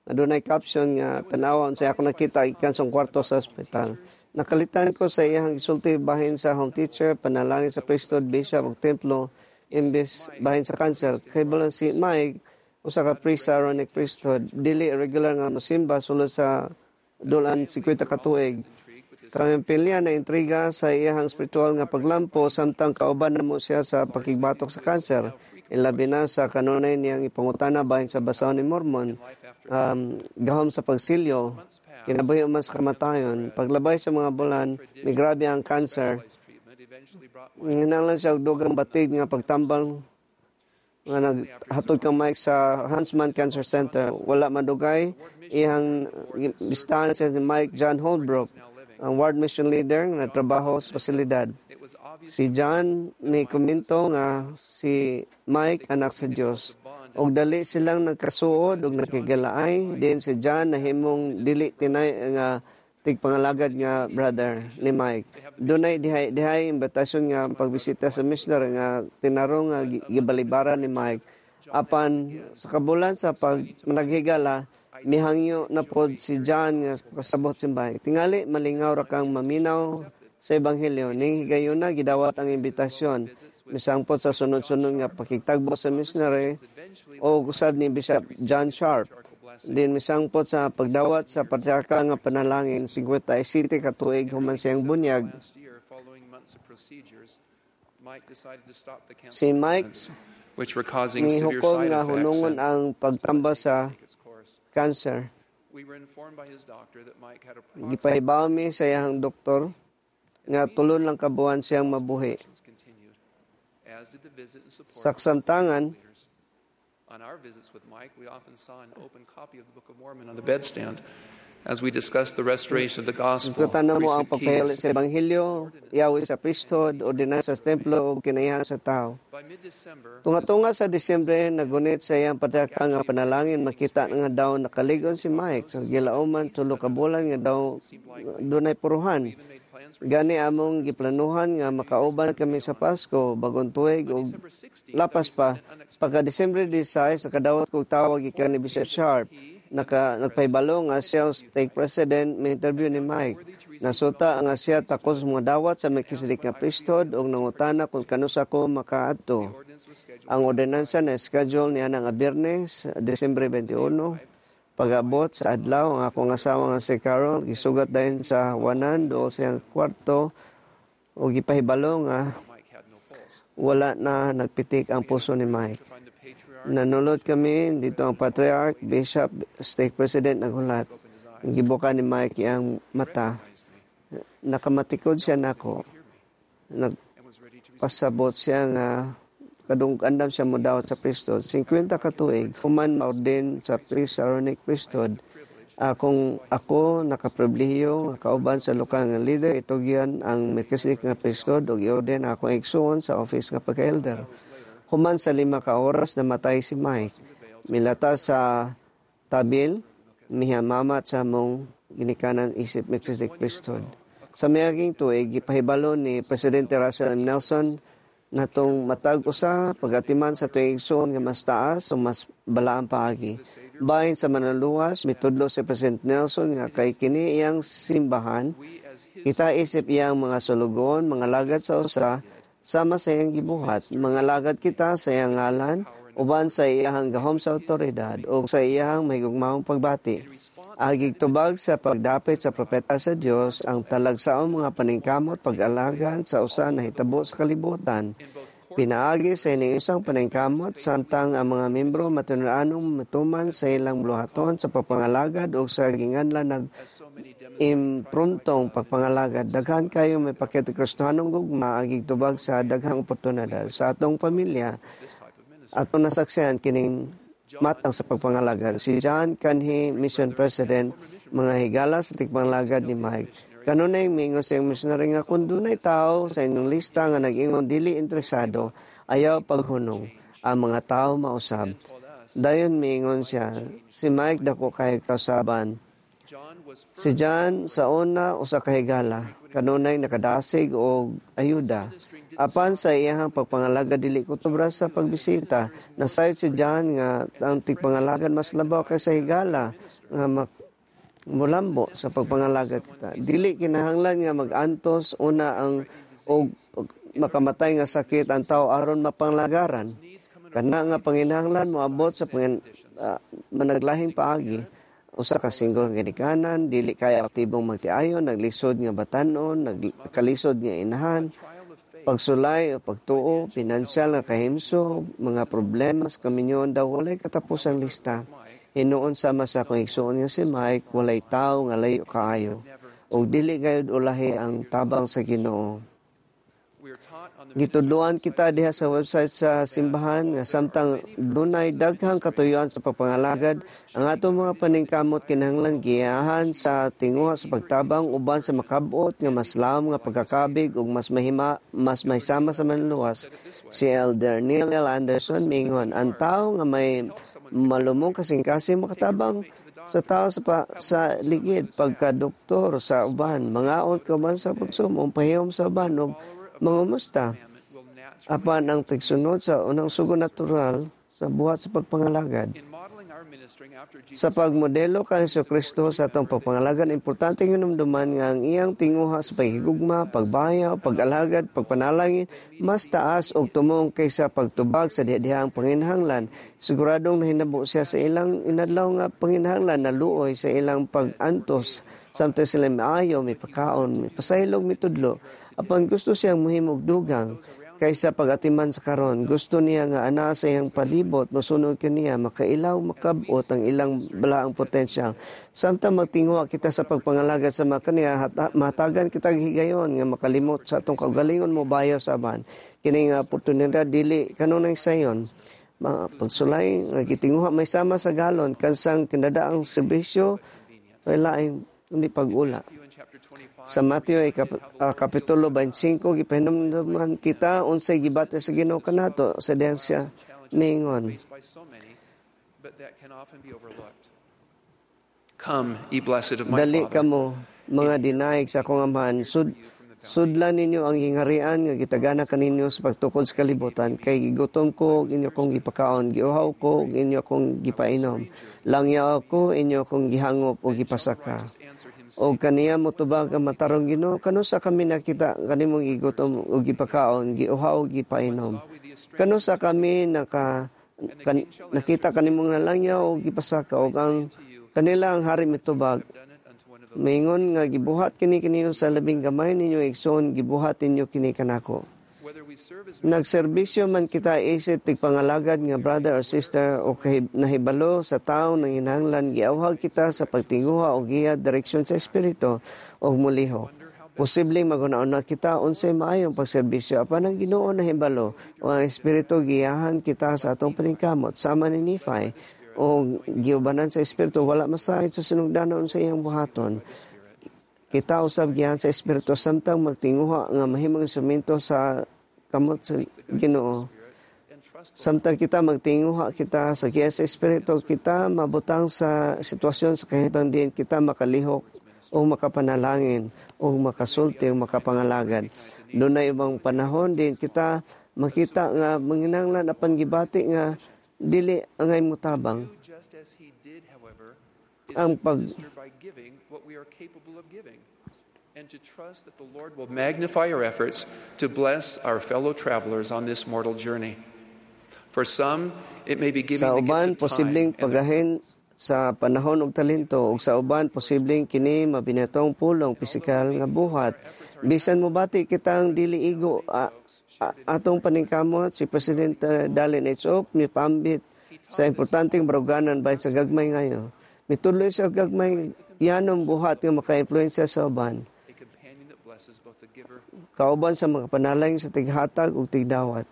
nga dunay caption nga "Tan-awa unsay ako nakita gikan sa kwarto sa ospital." Nakalitan ko sa iyang gisulti bahin sa home teacher, panalangin sa priesthood, bishop ug templo imbes bahin sa cancer. Kay balan si Mike usa ka priest sa Aaronic Priesthood, dili regular nga mosimba sulod sa dulan singkwenta ka tuig. Kami pilya na intriga sa iyang spiritual nga paglampo samtang kauban namo siya sa pakigbatok sa cancer. Ilabi na sa kanunay niyang ipangutana bahin sa Basahon ni Mormon, um, gahom sa pagsilyo, kinabuhi man sa kamatayon. Paglabay sa mga bulan, migrabe ang cancer. Nginahanglan siya og dugang batig nga pagtambal nga naghatod kang Mike sa Huntsman Cancer Center. Wala madugay, iyang bistahan siya ni Mike John Holbrook, ang ward mission leader nga nagtrabaho sa pasilidad. Si John may komento nga si Mike anak sa Dios. Og dali silang nagkasuod og nakigalaay din si John nahimong dili tinay nga tigpangalagad nga brother ni Mike. Dunay dihay dihay imbitasyon nga pagbisita sa missionary nga tinarong nga gibalibaran ni Mike. Apan sa kabulan sa pag naghigala, mihangyo na pod si John nga kasabot si Mike. Tingali malingaw ra kang maminaw sa ebanghelyo. Ning higayuna gidawat ang imbitasyon. Misangpot sa sunod-sunod nga pakigtagbo sa missionary o usab ni Bishop John Sharp. Din misangpot sa pagdawat sa patriarkal nga panalangin singkwenta y siyete ka tuig human siyang bunyag. Si Mike which were causing severe nihukom side nga effects. hunungon And ang pagtamba sa cancer. We were informed by his doctor that Mike had a Gipahibaw mi sa iyang doktor nga tulon lang ka buwan siyang mabuhi. Continued, as did the visit and support Sa kasamtangan, On our visits with Mike, we often saw an open copy of the Book of Mormon on the bedstand as we discussed the restoration of the gospel, Sugatan mo ang priesthood pagpahili keys. Sa ebanghelyo, yawi sa priesthood, ordinansa sa templo ug kinaihan sa tao. By mid-December, Tunga-tunga sa Disyembre, nagunit sa iyang patriarkal nga panalangin, makita nga daw nakaligon si Mike. Sa gilauman, tulo ka bulan nga daw dunay puruhan. Gani among giplanuhan nga makauban kami sa Pasko, Bagong Tuig ug lapas pa. Pagka Disyembre labing sais, nakadawat kog tawag gikan ni Bishop Sharp. Naka, nagpahibalo nga siya ang stake president may interview ni Mike. Nasuta nga siya takos mga dawat sa Melchizedek nga priesthood ug nangutana kung kanusa ko makaadto. Ang ordinansa na schedule niya nga Biyernes, Disyembre labing-uno. Pag-abot sa adlaw, ang akong asawa nga si Carol gisugat dayon sa wanan duol sa iyang kwarto ug gipahibalo nga wala na nagpitik ang puso ni Mike. Nanulot kami dito ang patriarch, bishop, stake president naghulat. Gibuka ni Mike iyang mata. Nakamatikod siya nako. Nagpasabot siya nga kadung andam siya modawat sa priesthood. singkwenta ka tuig, human ma-ordain sa priest sa Aaronic Priesthood. Akong ako nakapribilehiyo nga kauban sa lokal nga leader itugyan ang Melchizedek nga priesthood ug i-ordain akong igsuon sa office nga pagka-elder. Human sa lima ka oras, namatay si Mike. Milata sa tabil, mihamamat sa among ginikanan isip Melchizedek priesthood. Sa miaging tuig, gipahibalo ni Presidente Russell M. Nelson natong matag usa pagatiman sa tuig igsuon nga mas taas o mas balaang paagi. Bahin sa Manluluwas, mitudlo si President Nelson nga kay kini iyang simbahan, kita isip iyang mga sulugoon, mga lagad sa usa, sama sa iyang gibuhat. Mga lagad kita sa iyang ngalan, uban sa iyang gahom sa otoridad, o sa iyang mahigugmaong pagbati. Agig tubag sa pagdapit sa propeta sa Dios ang talagsaong mga paningkamot pag-alagan sa usa nahitabo sa kalibutan. Pinaagi sa ining isang paningkamot samtang ang mga membro matinud-anong matuman sa ilang buluhaton sa pagpangalagad o sa ginganlan nag impruntong pagpangalagad. Daghan kayo may pakita Kristohanong gugma agig tubag sa daghang oportunidad. Sa atong pamilya, atong nasaksihan kining Matang sa pagpangalagad. Si John kanhi mission president, mga higala sa tigpangalagad ni Mike. Kanunay mingon sa iyang missionary nga kung dunay tao sa inyong lista nga nag-ingon dili interesado, ayaw paghunong ang mga tao mausab. Dayon miingon siya, si Mike dako kay kausaban. Si John sa una usa ka higala, kanunay nakadasig og ayuda. Apan sa iyahang pagpangalagad dili kutubra sa pagbisita, nasayod si John nga ang tigpangalagad mas labaw kaysa higala nga mak- mulambo sa pagpangalagad kita. Dili kinahanglan nga mag-antos una ang og makamatay nga sakit ang tao aron mapanglagaran. Kana nga panginahanglan moabot sa pangin, uh, managlahing paagi. Usa ka single nga ginikanan, dili kay aktibong magtiayon, naglisod nga batanon, nagkalisod nga inahan, pagsulay o pagtuo, pinansyal nga kahimso, mga problema sa kaminyoon daw walay katapusang lista. Hinuon sama sa akong igsuon nga si Mike, walay tao nga layo kaayo. Og dili gayud ulahi ang tabang sa Ginoo. Gitudloan kita diha sa website sa simbahan nga samtang dunay daghang katuyuan sa pagpangalagad, ang atong mga paningkamot kinahanglan giyahan sa tinguha sa pagtabang uban sa makabot nga mas lawom nga pagkakabig ug mas mahima mas mahisama sa manluluwas. Si Elder Neil L. Anderson mingon, ang tao nga may malumong kasing-kasing makatabang sa tao sa, pa, sa ligid pagka-doktor sa uban, mangaon ka man sa pagsumong pahiyom sa uban ug mangumusta. Apan ang tigsunod sa unang sugo natural sa buhat sa pagpangalagad. Sa pagmodelo kang Kristo sa atong pagpangalagad, importante hinumduman nga ang iyang tinguha sa paghigugma, pagbayaw, pag-alagad, pagpanalangin, mas taas og tumong kaysa pagtubag sa diha-dihang panginahanglan. Siguradong nahinabo siya sa ilang inadlaw nga panginahanglan na luoy sa ilang pag-antos. Samtang sila maayo, may pakaon, may pasaylog, may tudlo. Apan gusto siyang muhimog dugang kaysa pag-atiman sa karon. Gusto niya nga ana sa iyang palibot, mosunod kaniya, makailaw, makabot ang ilang balaang potensyal. Samtang magtinguha kita sa pagpangalagad sa mga kaniya, mahatagan kita higayon nga makalimot sa atong kaugalingon mo bayaw sa aban. Kini nga oportunidad dili kanunay sayon. Mga pagsulay nga gitinguha may sama sa galon kansang kinadaang serbisyo laing kundi pag-ula. Sa Mateo kap, uh, Kapitulo twenty-five, gipahinumduman kita unsay gibati sa Ginoo kanato sa dihang siya miingon. Dali kamo mga dinaig sa akong amahan, sud sudlan ninyo ang giharian nga gitagana kaninyo sa pagtukod sa kalibutan, kay gigutom ko ug inyo kong gipakaon, giuhaw ko ug inyo kong gipainom, langyaw ko inyo kong gihangop ug gipasaka. O kaniya motubag ang matarong Ginoo, kanusa kami nakita kanimong gigutom ug gipakaon, giuhaw ug gipainom? Kanusa kami naka kan, nakita kanimong nalangyaw ug gipasaka? Og ang kanila ang hari mitubag, maingon nga gibuhat kini kiniyo sa labing gamay ninyo igsoon, gibuhat ninyo kini kanako. Nagserbisyo man kita isip tigpangalagad nga brother or sister o nahibalo sa tawo nang hinahanglan, giawhag kita sa pagtinguha o giya direksyon sa espiritu o mulihok. Posibleng maguna-una kita unsay maayong pagserbisyo apan ang Ginoo nahibalo o ang espiritu giyahan kita sa atong paningkamot sama ni Nephi o giubanan sa espiritu wala masahid sa sinugdanon sa iyang buhaton. Kita usab giyahan sa espiritu samtang magtinguha nga mahimong instrumento sa kamot sa Ginoo. Samtang kita magtinguha kita sa giya sa espiritu, kita mabutang sa sitwasyon sa kahitang diin kita makalihok o makapanalangin o makasulti o makapangalagad. Dunay ibang panahon din kita makita nga manginahanglan apan gibati nga dili angay mutabang. Ang pag and to trust that the Lord will magnify our efforts to bless our fellow travelers on this mortal journey. For some, it may be giving sa the uban, gift of time posibleng pagahin sa panahon og talento, ug sa uban posibleng kini mabinatong pulong pisikal nga buhat. Bisan mobati kitang dili igo a, a, atong paningkamot, si President uh, Dallin H. Oak mipambit sa importanteng baruganan bay sa gagmay ngayo. Mituloy sa gagmay yanong buhat nga maka-impluwensya sa uban. Kauban sa mga panalangin sa tighatag ug tigdawat.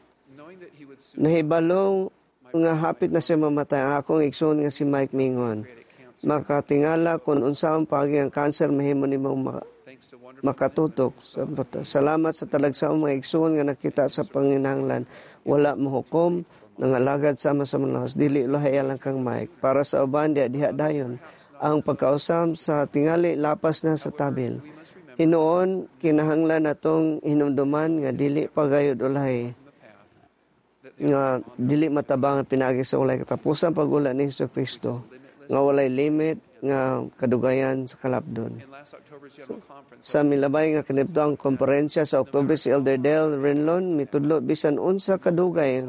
Nahibalong nga hapit na siya mamatay, ang akong igsoon nga si Mike mingon, makatingala kung unsaon paagi ang kanser mahimo nimong ma- makatutok. Salamat sa talagsaong mga igsoon nga nakita sa panginahanglan. Wala mohukom, nangalagad sama sa mga dili lahi lang kang Mike. Para sa uban diha diha dayon ang pagkausam sa tingali lapas na sa tabil. Hinuon kinahanglan natong hinumduman nga dili pagayod ulahi nga dili matabangan pinaagi sa ulay katapusan pag-ula ni Hesus Kristo nga walay limit nga kadugayan sa kalapdon. So, sa milabay nga kinibtoang komperensya sa Oktubre si Elder Dale Renlon mitudlo bisan unsa kadugay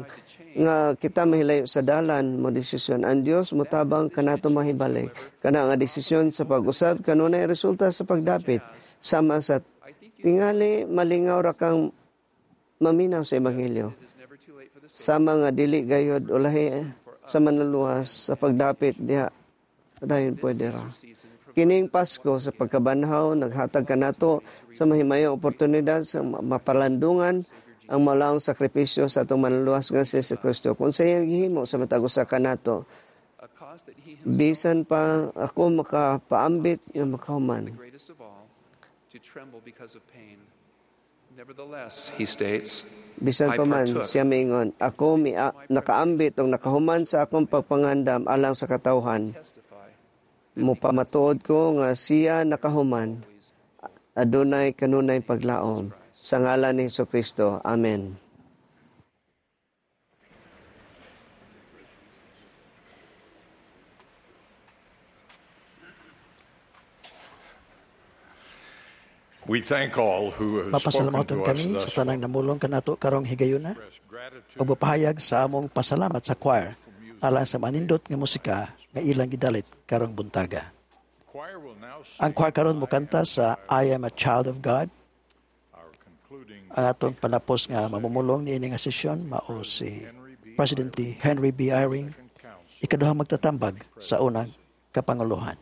nga kita mahilayo sa dalan mo desisyon ang Dios motabang kanato mahibalik kana nga desisyon sa pag-usab kanunay resulta sa pagdapit sama sa tingali malingaw ra kang maminaw sa ebanghelyo sama nga dili gayod ulahi sa manluluwas sa pagdapit diha dayon pwede ra. Kining Pasko sa pagkabanhaw naghatag kanato sa mahimayong oportunidad sa mapalandungan ang malaong sakripisyo sa atong manluluwas nga si Jesucristo. Kung sa iyang gihimo sa matag usa kanato, bisan pa ako makapaambit nga makahuman. Bisan pa man siya mingon, ako mi nakaambit o nakahuman sa akong pagpangandam alang sa katawhan. Mupamatuod ko nga siya nakahuman, adunay kanunay paglaom. Sa ngalan ni Jesucristo. Amen. We thank all who have spoken Mapasalamaton to us kami thus sa tanang namulong kanato karong higayuna ug mapahayag sa among pasalamat sa choir alang sa manindot nga musika nga ilang gidalit karong buntaga. Ang choir karon mokanta sa I Am a Child of God. Ang atong panapos nga mamumulong niini nga sesyon mao si President Henry B. Eyring, ikaduhang magtatambag sa unang kapanguluhan.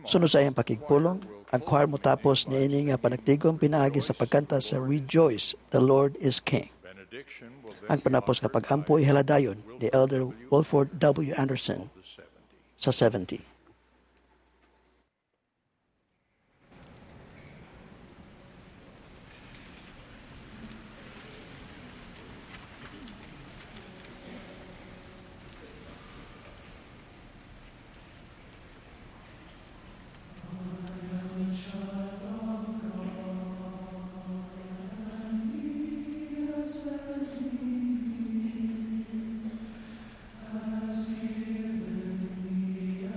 Sunod sa iyang pakigpulong, ang choir motapos niini nga panagtigom pinaagi sa pagkanta sa Rejoice, the Lord is King. Ang panapos nga pag-ampo ihaladayon ni Elder Wilford W. Anderson sa seventy. As given me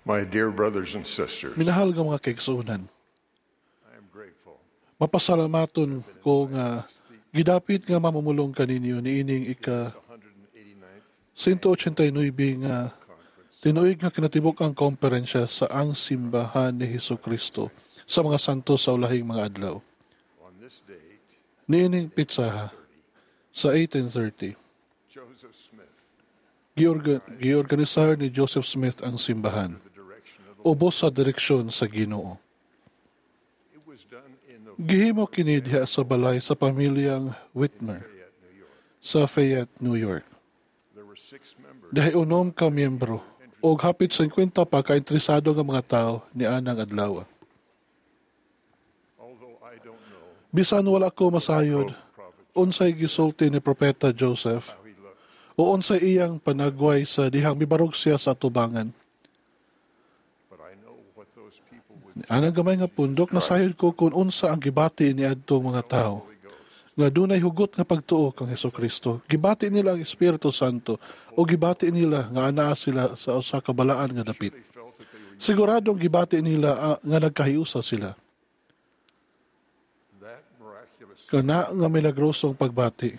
My dear brothers and sisters, Minahal nga mga kaigsuonan, I am grateful mapasalamaton ko nga gidapit nga mamumulong kaninyo niining ika one eighty-nine nga tinuig nga kinatibuk ang komperensya sa Ang Simbahan ni Hesus Kristo sa mga Santo sa Ulahing Mga Adlaw. On this date, Niining pitsaha sa eighteen thirty, Joseph Smith, giorga, giorganisar ni Joseph Smith ang simbahan ubos sa direksyon sa Ginoo. It was done in the Gihimo kini diha sa balay sa pamilyang Whitmer sa Fayette, New York. There were six members. Dahi unom ka miyembro og hapit singkwenta pa ka interesado nga mga tao ni anang adlaw. Although I don't know Bisan wala ko masayod unsay gisulti ni Propeta Joseph how he looked, o unsay iyang panagway sa dihang mibarog siya sa atubangan. But I know what those people would Anang gamay nga pundok, nasayod ko kung unsa ang gibati ni adtong mga tao nga dunay hugot nga pagtuo kang Hesus Kristo. Gibati nila ang Espiritu Santo o gibati nila nga anaa sila sa usa ka balaan nga dapit. Siguradong gibati nila ah, nga nagkahiusa sila. That miraculous Kana nga milagrosong pagbati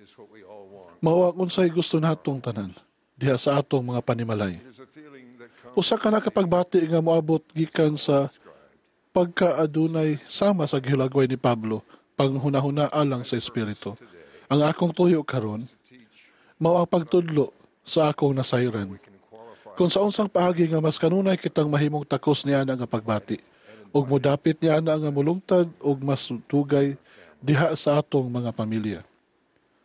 is what we all want. mao ang unsay gusto natong tanan diha sa atong mga panimalay. It is a feeling that comes Usa ka nakapagbati nga moabot gikan sa pagkaadunay sama sa gihulagway ni Pablo, panghunahuna alang sa Espiritu. Ang akong tuyo karon mao ang pagtudlo sa akong nasayran kung sa unsang paagi nga mas kanunay kitang mahimong takos niya nga pagbati ug modapit niya nga mulungtad ug mas tugay diha sa atong mga pamilya.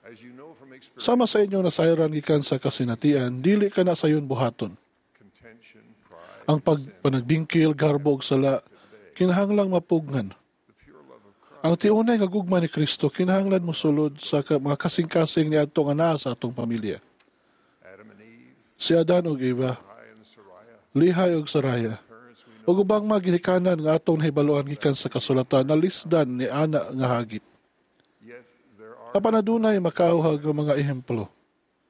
As you know from experience, Sama sa inyong nasayran gikan sa kasinatian, dili ka na sayon buhaton. Contention, pride, Ang pagpanagbingkil, garbo ug sala kinahanglang mapugngan. Ang tiunay nga gugma ni Kristo kinahanglan mosulod sa ka- mga kasing-kasing ni adtong anaa sa atong pamilya. Adam and Eve, Si Adan ug Eva, Lehi and Sariah, Lihay ug Saraya, parents we know ug ubang mga ginikanan nga atong nahibaluan gikan sa kasulatan nalisdan ni ana nga hagit. Yet there are Apan adunay makauhag nga mga ehemplo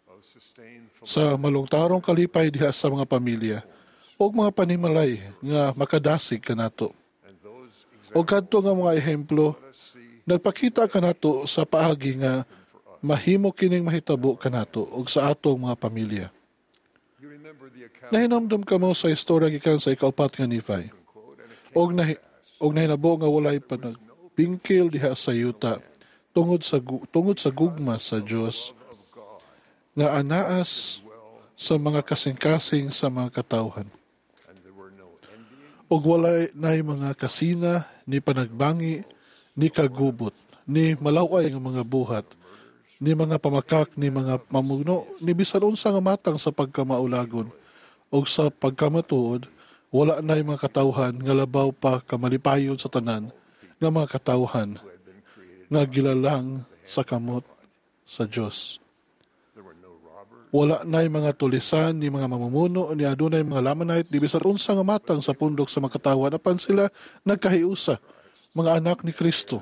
of sustained sa malungtarong kalipay diha sa mga pamilya ug mga panimalay nga makadasig kanato. And those O kadto nga mga ehemplo nagpakita kanato sa paagi nga mahimo kining mahitabo kanato ug sa atong mga pamilya. You remember the account Nahinomdom kamo sa istorya gikan sa ikaupat nga Nephi. Og nahi, og nahinabo nga walay panagbingkil diha sa yuta tungod sa gu- tungod sa gugma sa Dios nga anaas sa mga kasing-kasing sa mga katawhan. And there were no envying, Og walay nay mga kasina ni panagbangi ni kagubot ni malaway nga mga buhat ni mga pamakak ni mga mamugno ni bisan unsa nga matang sa pagkamaulagon og sa pagkamatuod. Wala nay mga katawhan nga labaw pa kamalipayon sa tanan nga mga katawhan nga gilalang sa kamot sa Dios. There were no robbers, Wala nay mga tulisan ni mga mamumuno ni adunay mga Lamanite ni bisan unsa nga matang sa pundok sa mga katawhan, apan sila nagkahiusa, mga anak ni Kristo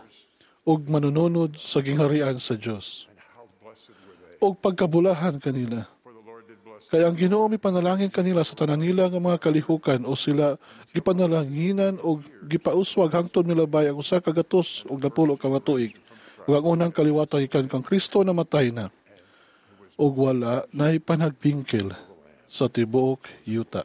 ug manununod sa gingharian sa Dios. And how blessed were they? Og pagkabulahan kanila. For the Lord did bless Kay ang Ginoo mipanalangin kanila sa tanan nila nga mga kalihukan o sila gipanalanginan og gipauswag hangtod milabay ang usa ka gatos og napulo ka mga tuig. Ug ang unang kaliwatan gikan kang Kristo namatay na ug wala nay panagbingkil sa tibuok yuta.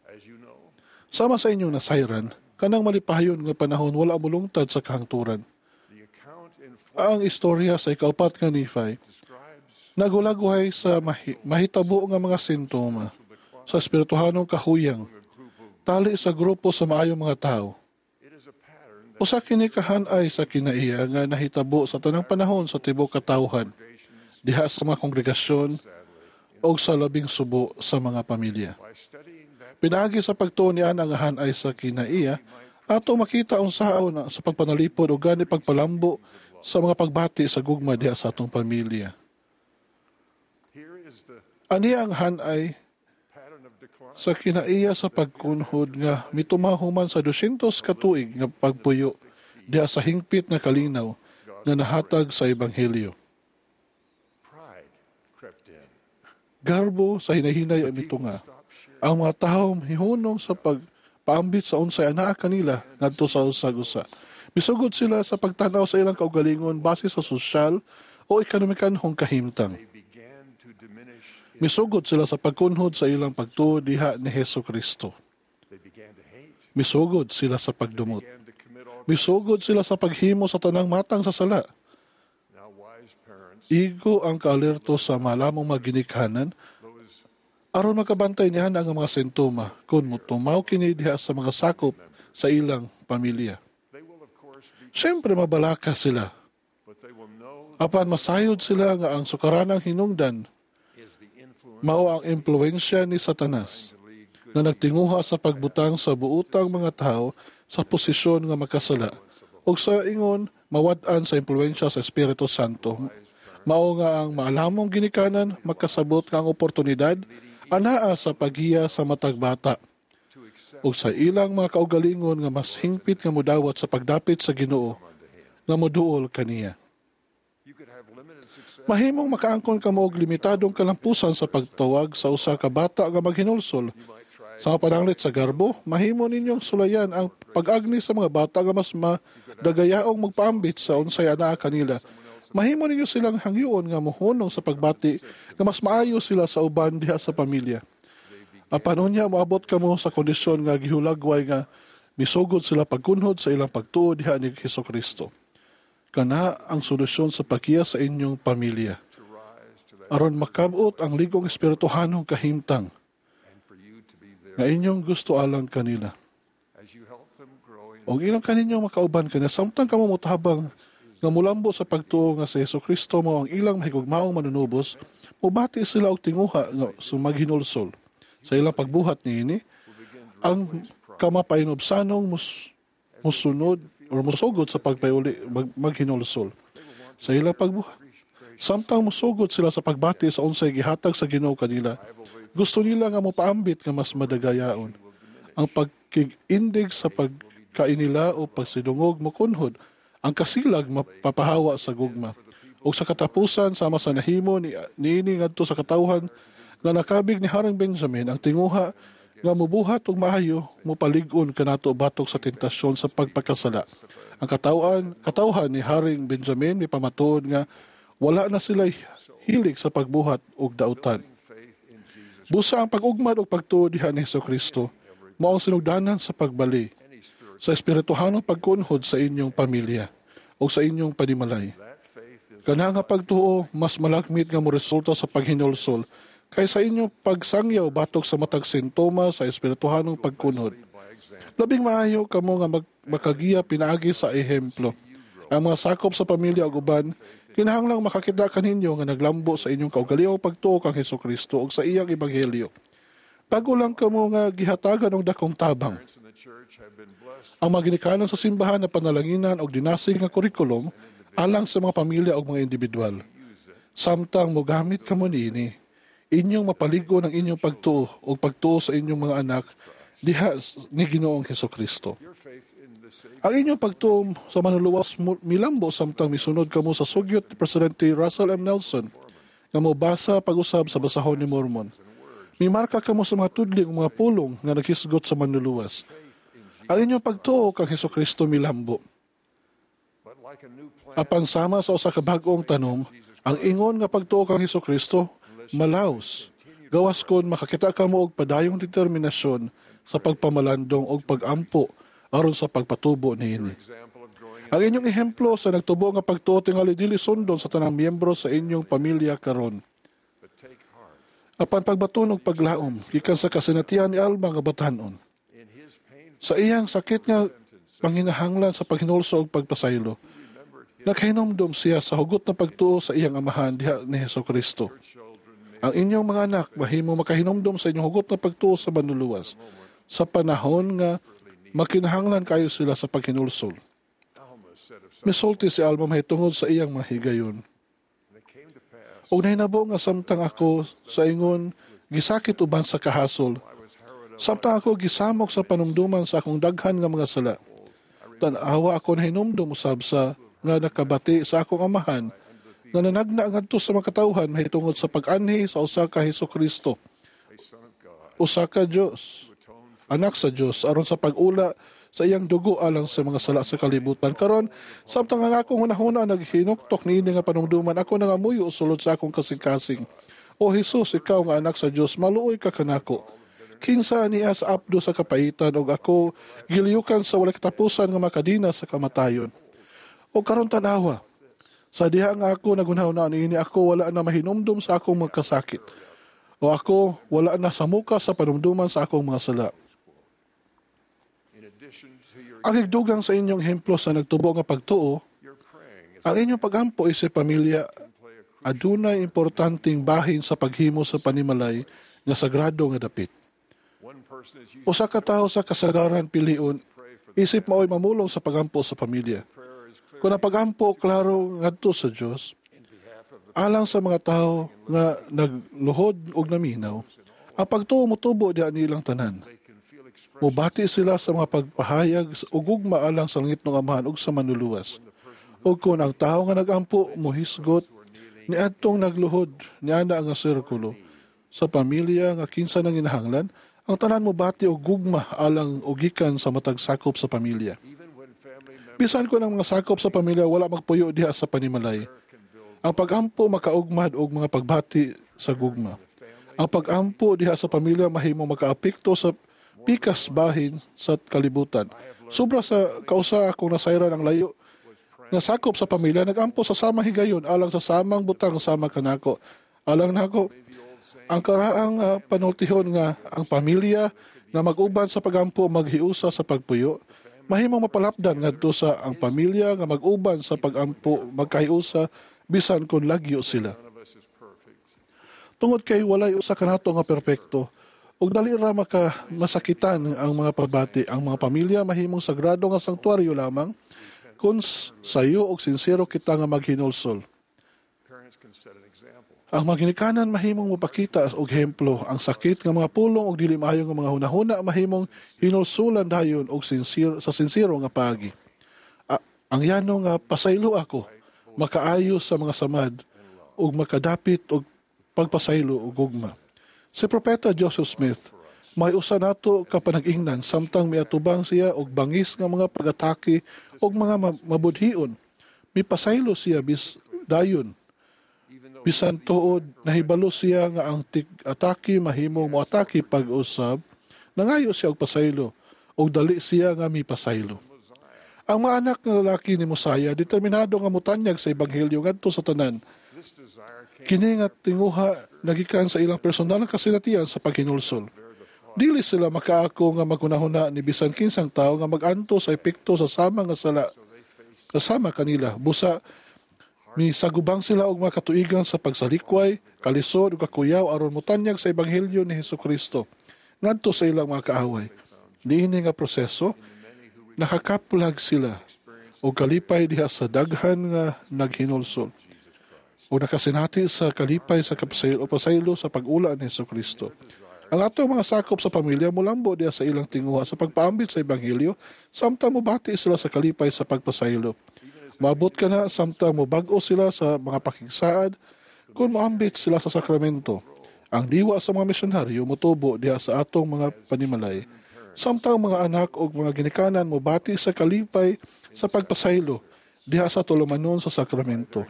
As you know, Sama sa inyong nasayran, kanang malipayon nga panahon wala mulungtad sa kahangturan. The account in Ang istorya sa ikaupat nga Nephi describes nagulagway sa mahi, mahitabo nga mga sintoma sa espirituhanong kahuyang tali sa grupo sa maayong mga tao. It is a pattern that Usa kini kahanay sa kinaiya nga nahitabo sa tanang panahon sa tibuok katawhan diha sa mga kongregasyon o sa labing subo sa mga pamilya. By studying that Pinaagi sa pagtuon ni ana nga hanay sa kinaiya, ato makita unsaon na sa pagpanalipod o gani pagpalambo sa mga pagbati sa gugma diha sa atong pamilya. Here is the Ani ang hanay pattern of decline sa kinaiya sa pagkunhod nga mitumahuman sa dosyentos ka tuig nga pagpuyo diha sa hingpit nga kalinaw nga nahatag sa ebanghelyo. Pride crept in. Garbo sa hinahinay ang mitunga. Stop sharing. Ang mga tawo hihunong sa pagpaambit sa unsay anaa kanila ngadto sa usag-usa. Misugod sila sa pagtanaw sa ilang kaugalingon base sa sosyal o ekonomikanhong kahimtang. Misugod sila sa pagkunhod sa ilang pagtuo diha ni Hesus Kristo. Misugod sila sa pagdumot. Misugod sila sa paghimo sa tanang matang sa sala. Igo ang kaalerto sa malamong maginikanan aron makabantay niya ang mga sintoma kung mutumaw kini diha sa mga sakop sa ilang pamilya. Siyempre mabalaka sila. Apan masayod sila nga ang sukaranang hinungdan mao ang impluwensya ni Satanas na nagtinguha sa pagbutang sa buutang mga tao sa posisyon nga makasala ug sa ingon mawad-an sa impluwensya sa Espiritu Santo. Mao nga ang maalamong ginikanan makasabot nga ang oportunidad anaa sa paghiya sa matag bata ug sa ilang mga kaugalingon nga mas hingpit nga modawat sa pagdapit sa Ginoo nga moduol kaniya. Mahimong makaangkon kamo og limitadong kalampusan sa pagtawag sa usa ka bata nga maghinulsol. Sa mga pananglit sa garbo, mahimo ninyong sulayan ang pag-agni sa mga bata nga mas madagayaong magpaambit sa unsay anaa kanila. Mahimo ninyo silang hangyoon nga mohunong sa pagbati nga mas maayo sila sa uban diha sa pamilya. Apan unya moabot kamo sa kondisyon nga gihulagway nga misugod sila pagkunhod sa ilang pagtuo diha ni Hesus Kristo. Kana ang solusyon sa paghiya sa inyong pamilya. Aron makabot ang ligong espirituhanong kahimtang nga inyong gusto alang kanila. Og ilang kaninyong makauban kanila samtang kamo motabang nga mulambo sa pagtuo nga si Hesus Kristo mao ang ilang mahigugmaong manunubos, mobati sila og tinguha nga sumaghinulsol. Sa ilang pagbuhat niini, ang kamapainubsanong mus, musunod or musugod sa pagpayuli mag, maghinulsol. Sa ilang pagbuhat, samtang musugod sila sa pagbati sa unsay gihatag sa Ginoo kanila, gusto nila nga mopaambit nga mas madagayaon. Ang pagkigindig sa pagkainila o pagsidungog mokunhod, ang kasilag mapapahawa sa gugma. O sa katapusan, sama sa nahimo ni niini ngadto sa katawhan nga nakabig ni Haring Benjamin, ang tinguha nga mubuhat og maayo mopalig-on kanato batok sa tentasyon sa pagpakasala. Ang katawan, katawhan ni Haring Benjamin mipamatuod nga wala na sila hilig sa pagbuhat og dautan. Busa ang pag-ugmad og pagtuo diha ni Hesus Kristo mao ang sinugdanan sa pagbali sa espirituhanong pagkunhod sa inyong pamilya o sa inyong panimalay. Kana nga pagtuo mas malakmit nga moresulta sa paghinulsol kaysa inyong pagsangyaw batok sa matag sintoma sa espirituhanong pagkunhod. Labing maayo kamo nga mag, makagiya pinaagi sa ehemplo. Ang mga sakop sa pamilya ug uban kinahanglang makakita kaninyo nga naglambo sa inyong kaugalingong pagtuo kang Hesus Kristo ug sa iyang ebanghelyo. Bago lang kamo nga gihatagan og dakong tabang. Ang mga ginikanan sa simbahan na panalanginan og dinasig nga kurikulum alang sa mga pamilya ug mga individual. Samtang mogamit kamo niini, inyong mapaligo ng inyong pagtuo o pagtuo sa inyong mga anak diha ni Ginoong Hesus Kristo. Ang inyong pagtuo sa manluluwas milambo samtang misunod kamo sa sugyot ni Presidente Russell M. Nelson nga mobasa pag-usab sa basahon ni Mormon. Mimarka kamo sa mga tudling o mga pulong nga naghisgot sa manluluwas. Ang inyong pagtuo kang Hesus Kristo milambo. Apan sama sa usa ka bag-ong tanom, ang ingon nga pagtuo kang Hesus Kristo malaos. Gawas kon makakita kamo og padayong determinasyon sa pagpamalandong og pagampo aron sa pagpatubo niini. Ang inyong ehemplo sa nagtubo nga pagtuo tingali dili sundon sa tanang miyembro sa inyong pamilya karon. Apan pagbaton og paglaom gikan sa kasinatian ni Alma nga batan-on. Sa iyang sakit nga panginahanglan sa paghinulso og pagpasaylo, nakahinomdom siya sa hugot na pagtuo sa iyang amahan diha ni Hesus Kristo. Ang inyong mga anak mahimo makahinomdom sa inyong hugot na pagtuo sa manluluwas sa panahon nga makinahanglan kayo sila sa paghinulsol. Misulti si Alma mahitungod sa iyang mga higayon. Og nahinabo nga samtang ako sa ingon gisakit uban sa kahasol, samtang ako gisamok sa panumduman sa akong daghan nga mga sala, tan-awa ako nahinumdum usab sa nga nakabati sa akong amahan nga nanagna ngadto sa mga katawhan mahitungod sa pag-anhi sa usa ka Hesus Kristo usa ka Dios, anak sa Dios, aron sa pag-ula sa iyang dugo alang sa mga sala sa kalibutan. Karon, samtang ang akong hunahuna naghinuktok niini nga panumduman, ako nangamuyo sulod sa akong kasing-kasing. O Hesus, ikaw nga anak sa Dios, maluoy ka kanako. Kinsa niya sa apdo sa kapaitan og ako giliyukan sa walay katapusan nga makadina sa kamatayon. O karon tan-awa, sa diha nga ako nagunahuna niini, ako wala na mahinumdum sa akong mga kasakit. O ako wala na sa muka sa panumduman sa akong mga sala. Ang higdugang sa inyong ehemplo sa nagtubo nga pagtuo, ang inyong pagampo isip pamilya adunay importanteng bahin sa paghimo sa panimalay nga sagrado nga dapit. Usa ka tawo sa kasagaran pilion isip maoy mamulong sa pagampo sa pamilya. Kung ang pagampo klaro ngadto sa Dios, alang sa mga tawo nga nagluhod og naminaw, ang pagtuo motubo diha nilang tanan. Mubati sila sa mga pagpahayag ug gugma alang sa langitnong Amahan ug sa Manluluwas. Ug kung ang tawo nga nagampo mohisgot niadtong nagluhod niana nga sirkulo sa pamilya nga kinsa nang ginahanglan, ang tanan mobati og gugma alang og gikan sa matag sakop sa pamilya. Bisan kon ang mga sakop sa pamilya wala magpuyo diha sa panimalay, ang pagampo makaugmad og mga pagbati sa gugma. Ang pagampo diha sa pamilya mahimong makaapekto sa pikas bahin sa kalibutan. Sobra sa kausa akong nasayran ang layo nga sakop sa pamilya nagampo sa samang higayon alang sa samang butang sama kanako. Alang nako ang karaang uh, panultihon nga ang pamilya nga mag-uban sa pagampo maghiusa sa pagpuyo, mahimong mapalapdan ngadto sa ang pamilya nga mag-uban sa pagampo magkahiusa bisan kon lagyo sila. Tungod kay walay usa kanato nga perpekto, ug dali ra maka masakitan ang mga pagbati. Ang mga pamilya mahimong sagrado nga sanktuaryo lamang kung sayo og sinsero kita nga maghinulsol. Ang mga ginikanan mahimong mapakita og ehemplo. Ang sakit nga mga pulong og dili maayo nga mga hunahuna mahimong hinulsulan dayon og sinsero sa sinsero nga paagi. A- ang yano nga pasaylo ako makaayo sa mga samad ug makadapit og pagpasaylo og gugma. Si Propeta Joseph Smith may usa nato ka panag-ingnan samtang miatubang siya og bangis nga mga pag-atake og mga mabudhion. Mipasaylo siya bis dayon. Bisan tuod nahibalo siya nga ang tig-atake mahimong moatake pag-usab, nangayo siya og pasaylo og dali siya nga mipasaylo. Ang mga anak nga lalaki ni Mosaya determinado nga motanyag sa ebanghelyo ngadto sa tanan. Kini nga tinguha nagikan sa ilang personal nga kasinatian sa paghinulsol. Dili sila makaako nga maghunahuna ni bisan kinsang tawo nga mag-anto sa epekto sa sama nga sala kasama kanila. Busa misagubang sila og mga katuigan sa pagsalikway, kalisod ug kakuyaw aron motanyag sa ebanghelyo ni Hesukristo ngadto sa ilang mga kaaway. Niini nga proseso nakakaplag sila og kalipay diha sa daghan nga naghinulsol o nakasinati sa kalipay sa kapasaylo o pasaylo sa pag-ula ni Hesukristo. Ang atong mga sakop sa pamilya mulambo diha sa ilang tinguha sa pagpaambit sa ebanghelyo samtang mobati sila sa kalipay sa pagpasaylo. Maabot ka na samtang mobag-o sila sa mga pakigsaad kung moambit sila sa sakramento. Ang diwa sa mga misyonaryo motubo diha sa atong mga panimalay. Samtang mga anak o mga ginikanan mobati sa kalipay sa pagpasaylo diha sa tulumanon sa sakramento.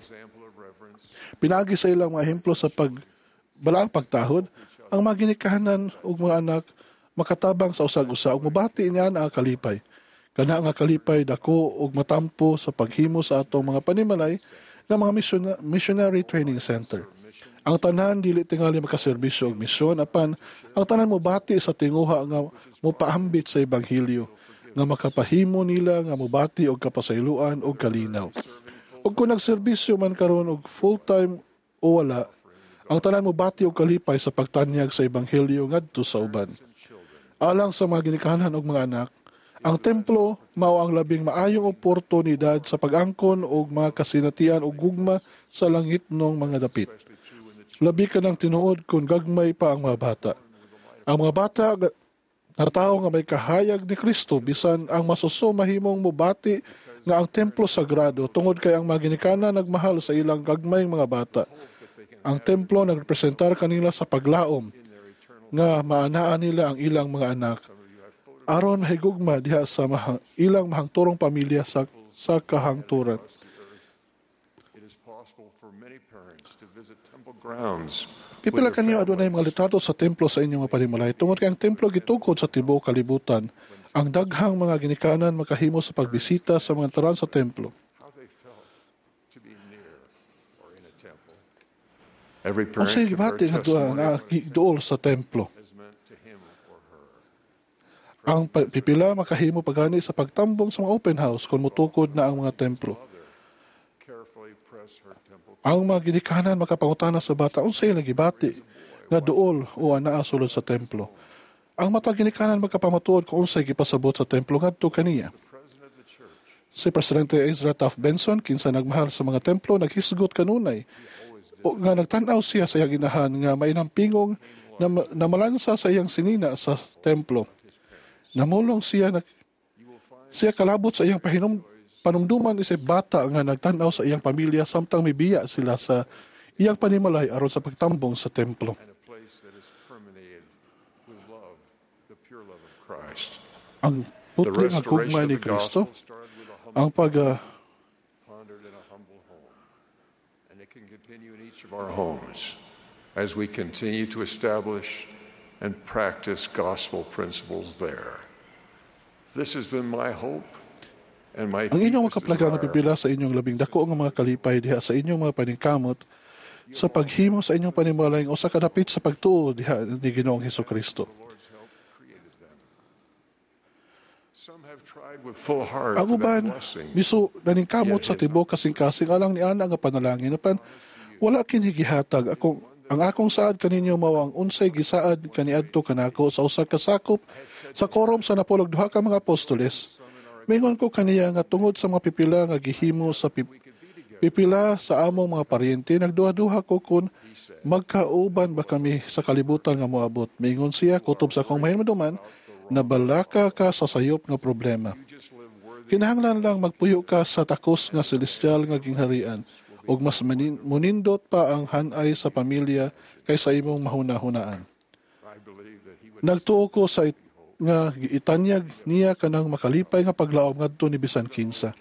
Pinagi sa ilang mga ehemplo sa pagbalaang pagtahod, ang mga ginikanan ug mga anak makatabang sa usag-usa ug mobati niya ang kalipay. Kana nga kalipay dako ug matampo sa paghimo sa atong mga panimalay nga mga missionary training center. Ang tanan dili tingali makaserbisyo og misyon apan ang tanan mobati sa tinguha nga mopaambit sa ebanghelyo nga makapahimo nila nga mobati og kapasayloan og kalinaw. Ug kung nagserbisyo man karon og full-time o wala, ang tanan mobati og kalipay sa pagtanyag sa ebanghelyo ngadto sa uban. Alang sa mga ginikanan og mga anak, ang templo mao ang labing maayong oportunidad sa pag-angkon og mga kasinatian og gugma sa langitnong mga dapit. Labi ka ng tinuod kung gagmay pa ang mga bata. Ang mga bata nga tawo nga may kahayag ni Kristo bisan ang masuso mahimong mobati nga ang templo sagrado tungod kay ang mga ginikanan nagmahal sa ilang gagmayng mga bata. Ang templo nagrepresentar kanila sa paglaom nga maanaan nila ang ilang mga anak aron mahigugma diha sa mahang, ilang mahangturong pamilya sa sa kahangturan. It is possible for many parents to visit temple grounds Pipila kanyo adunay mga litrato sa templo sa inyong mga panimalay. Tungod kay ang templo gitukod sa tibuok kalibutan, ang daghang mga ginikanan makahimo sa pagbisita sa mga taran sa templo. how they felt to be near or in a temple. Every parent Unsay can bear gibati nga duha testimony nga of what giduol sa templo? has meant to him or her. Ang pa- pipila makahimo pagani sa pagtambong sa mga open house kung motukod na ang mga templo. Carefully press her temple Ang mga ginikanan makapangutana sa bata unsay ilang gibati nga duol o anaa sulod sa templo. Ang matag ginikanan makapamatuod kung unsay gipasabot sa templo ngadto kaniya. Si Presidente Ezra Taft Benson, kinsa nagmahal sa mga templo, naghisgot kanunay o nga nagtan-aw siya sa iyang inahan nga mainampingong na, na malansa sa iyang sinina sa templo. Namulong siya na, siya kalabot sa iyang pahinom, panumduman isip bata nga nagtan-aw sa iyang pamilya samtang mibiya sila sa iyang panimalay aron sa pagtambong sa templo. and a place that is permeated with love, the pure love of Christ. Ang The putli nga restoration gugma of ni the Kristo, gospel started with a humble ang pag ah, pondered in a humble home. And it can continue in each of our homes as we continue to establish and practice gospel principles there. This has been my hope and my Ang inyong deepest makaplaga na desire pipila sa inyong labing dako nga mga kalipay diha sa inyong mga paningkamot sa paghimo sa inyong panimalay usa ka dapit sa pagtuo diha ni Ginoong Hesukristo. Some have tried with full heart Ang for that uban blessing. miso naningkamot sa tibuok kasing-kasing alang ni ana nga panalangin apan wala kini gihatag akong ang akong saad kaninyo mao ang unsay gisaad kaniadto kanako sa usa ka sakop sa korom sa napulog duha ka mga apostoles. Mingon ko kaniya nga tungod sa mga pipila nga gihimo sa pip- pipila sa among mga paryente, nagduha-duha ko kung magkauban ba kami sa kalibutan nga moabot. Mingon siya, kutob sa akong mahinumduman, nabalaka ka sa sayop nga problema. Kinahanglan lang magpuyo ka sa takos nga celestial nga gingharian ug mas manin- munindot pa ang hanay sa pamilya kaysa imong mahuna-hunaan. Nagtuo ko sa it- nga itanyag niya kanang makalipay nga paglaom ngadto ni bisan kinsa.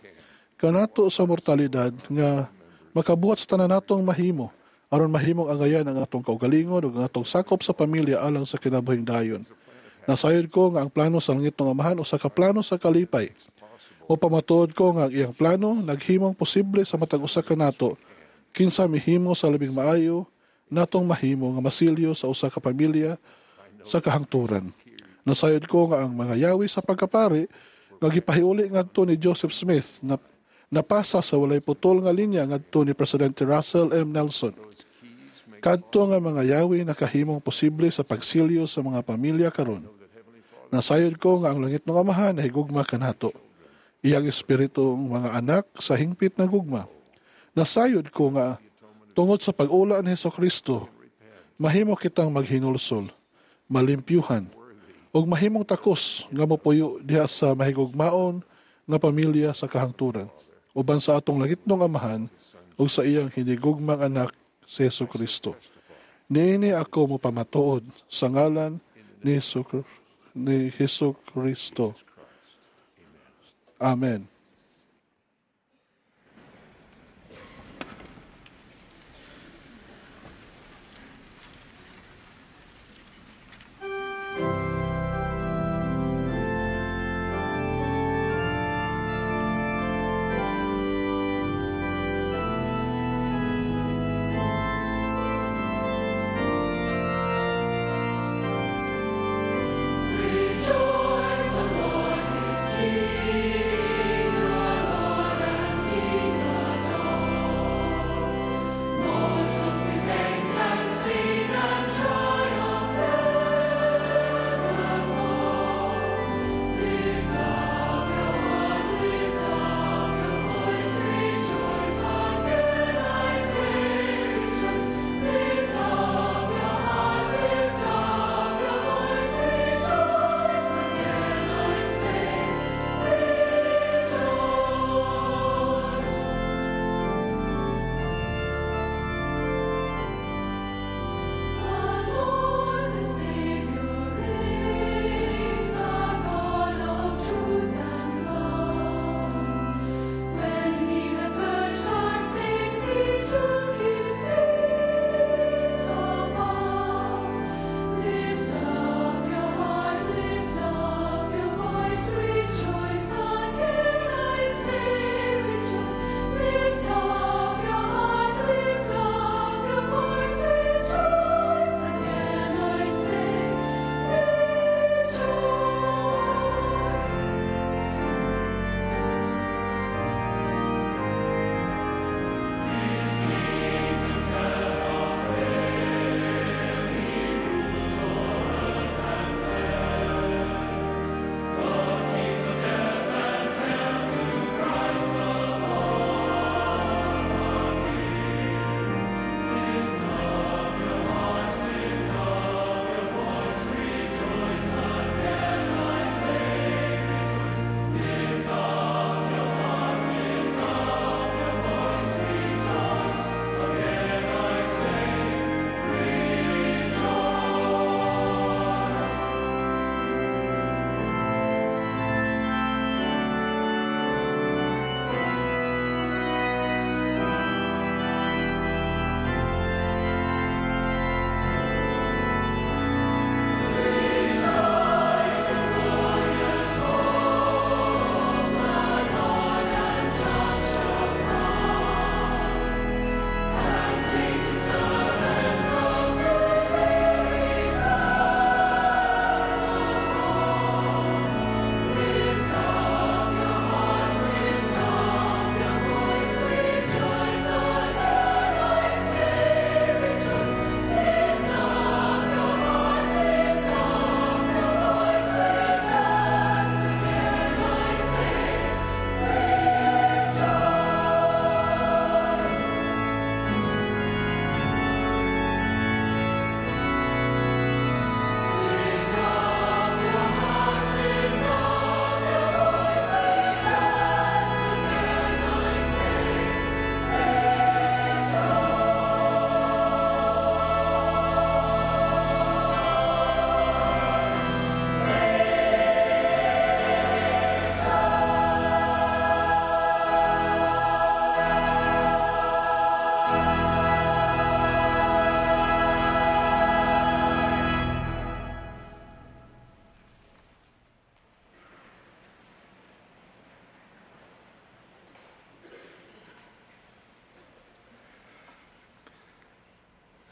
Kanato sa mortalidad nga makabuhat sa tanan natong mahimo aron mahimong angayan ang atong kaugalingon ug ang atong sakop sa pamilya alang sa kinabuhing dayon. Nasayod ko nga ang plano sa langit ng Amahan usa ka plano sa kalipay. O pamatuod ko nga ang iyang plano naghimong posible sa matag usa kanato kinsa mihimo sa labing maayo natong mahimo nga masilyo sa usa ka pamilya sa kahangturan. Nasayod ko nga ang mga yawi sa pagkapari nga gipahiuli ngadto ni Joseph Smith na napasa sa walay putol nga linya ngadto ni Presidente Russell M. Nelson. Kadto nga mga yawi nakahimong posible sa pagsilyo sa mga pamilya karon. Nasayod ko nga ang langit ng Amahan nahigugma kanato. Iyang espiritu ang mga anak sa hingpit na gugma. Nasayod ko nga tungod sa pag-ula ni Hesukristo, mahimo kitang maghinulsol, malimpyuhan, ug mahimong takos nga mopuyo diha sa mahigugmaon nga pamilya sa kahangturan uban sa atong langitnong Amahan ug sa iyang hinigugmang anak si Hesukristo. Niini ako mopamatuod sa ngalan ni Hesu ni Hesukristo. Amen. Rejoice, the Lord is King.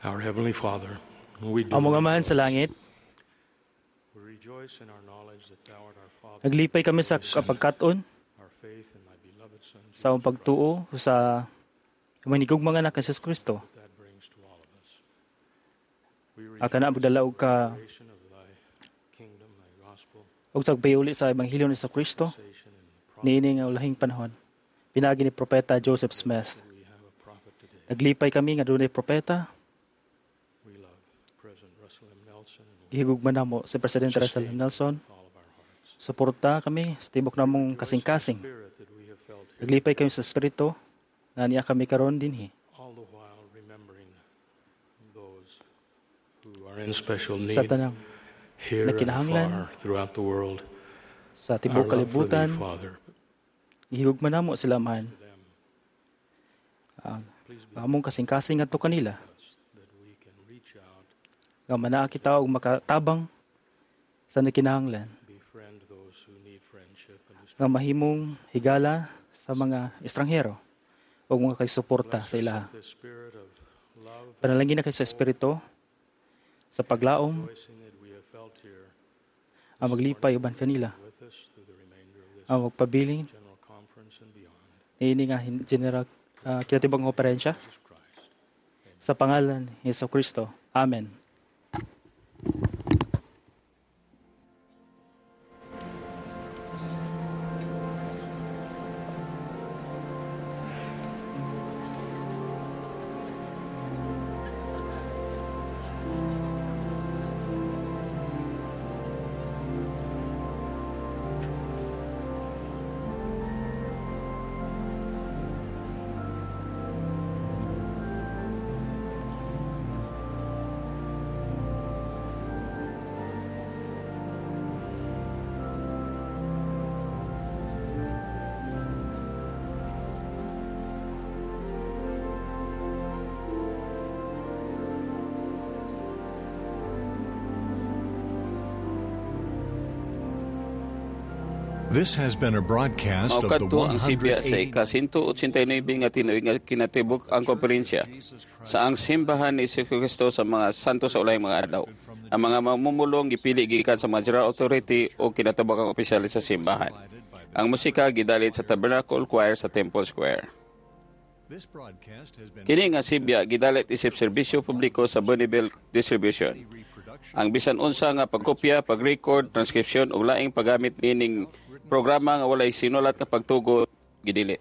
Our Heavenly Father, we do Among Amahan sa langit, we rejoice in our knowledge that Thou art our Father, naglipay kami sa kapagkat-on our faith in Thy beloved Son, sa among pagtuo sa manigug mga anak ni Jesus Kristo. that brings to all of us. We Ang kana magdala og ka rejoice of Thy kingdom, Thy gospel, og sa pagpayuli sa ebanghelyo ni Jesus Kristo niini nga ulahing panahon. Pinagi ni propeta Joseph Smith. we have a prophet today. Naglipay kami nga dunay propeta. We love President Russell M. Nelson and Gihigugma namo si Presidente Russell M. Nelson. all of our hearts. Suporta kami sa tibok namong kasing-kasing. Spirit that we have felt here, Naglipay kami sa espiritu na niya kami karon dinhi. all the while remembering those who are in special need Sa tanang here and nakinahanglan afar throughout the world. sa Our tibok love for Thee, kalibutan, Father, gihigugma namo sila man. Ang among kasing-kasing ngadto kanila that we can reach out, nga manaa kita og makatabang sa nakinahanglan befriend those who need friendship and who nga mahimong higala sa mga estranghero o mga kay suporta sa ilaha. the spirit of love Panalangin na kay sa espiritu sa paglaom rejoicing that we have felt here ang maglipay uban kanila with us through the remainder of this ang magpabilin general conference and beyond. niini nga hin- general uh, kinatibuk konferensya Jesus Christ. sa pangalan ni Hesus Kristo. Amen. This has been a broadcast of the Mao kadto ang sibya sa one hundred eighty ika-one eighty-nine nga tinuig nga kinatibuk ang konferensya sa ang simbahan ni Kristo sa mga santo sa ulahing mga adlaw. Ang mga mamumulong gipili gikan sa mga general authority o kinatibukang opisyales sa simbahan. Ang musika gidalit sa Tabernacle Choir sa Temple Square. This broadcast has been Kini nga sibya gidalit isip serbisyo publiko sa Bonneville Distribution. Ang bisan unsa nga pagkopya, pag-record, transcription ug laing paggamit nining programa nga walay sinulat nga pagtugot gidili.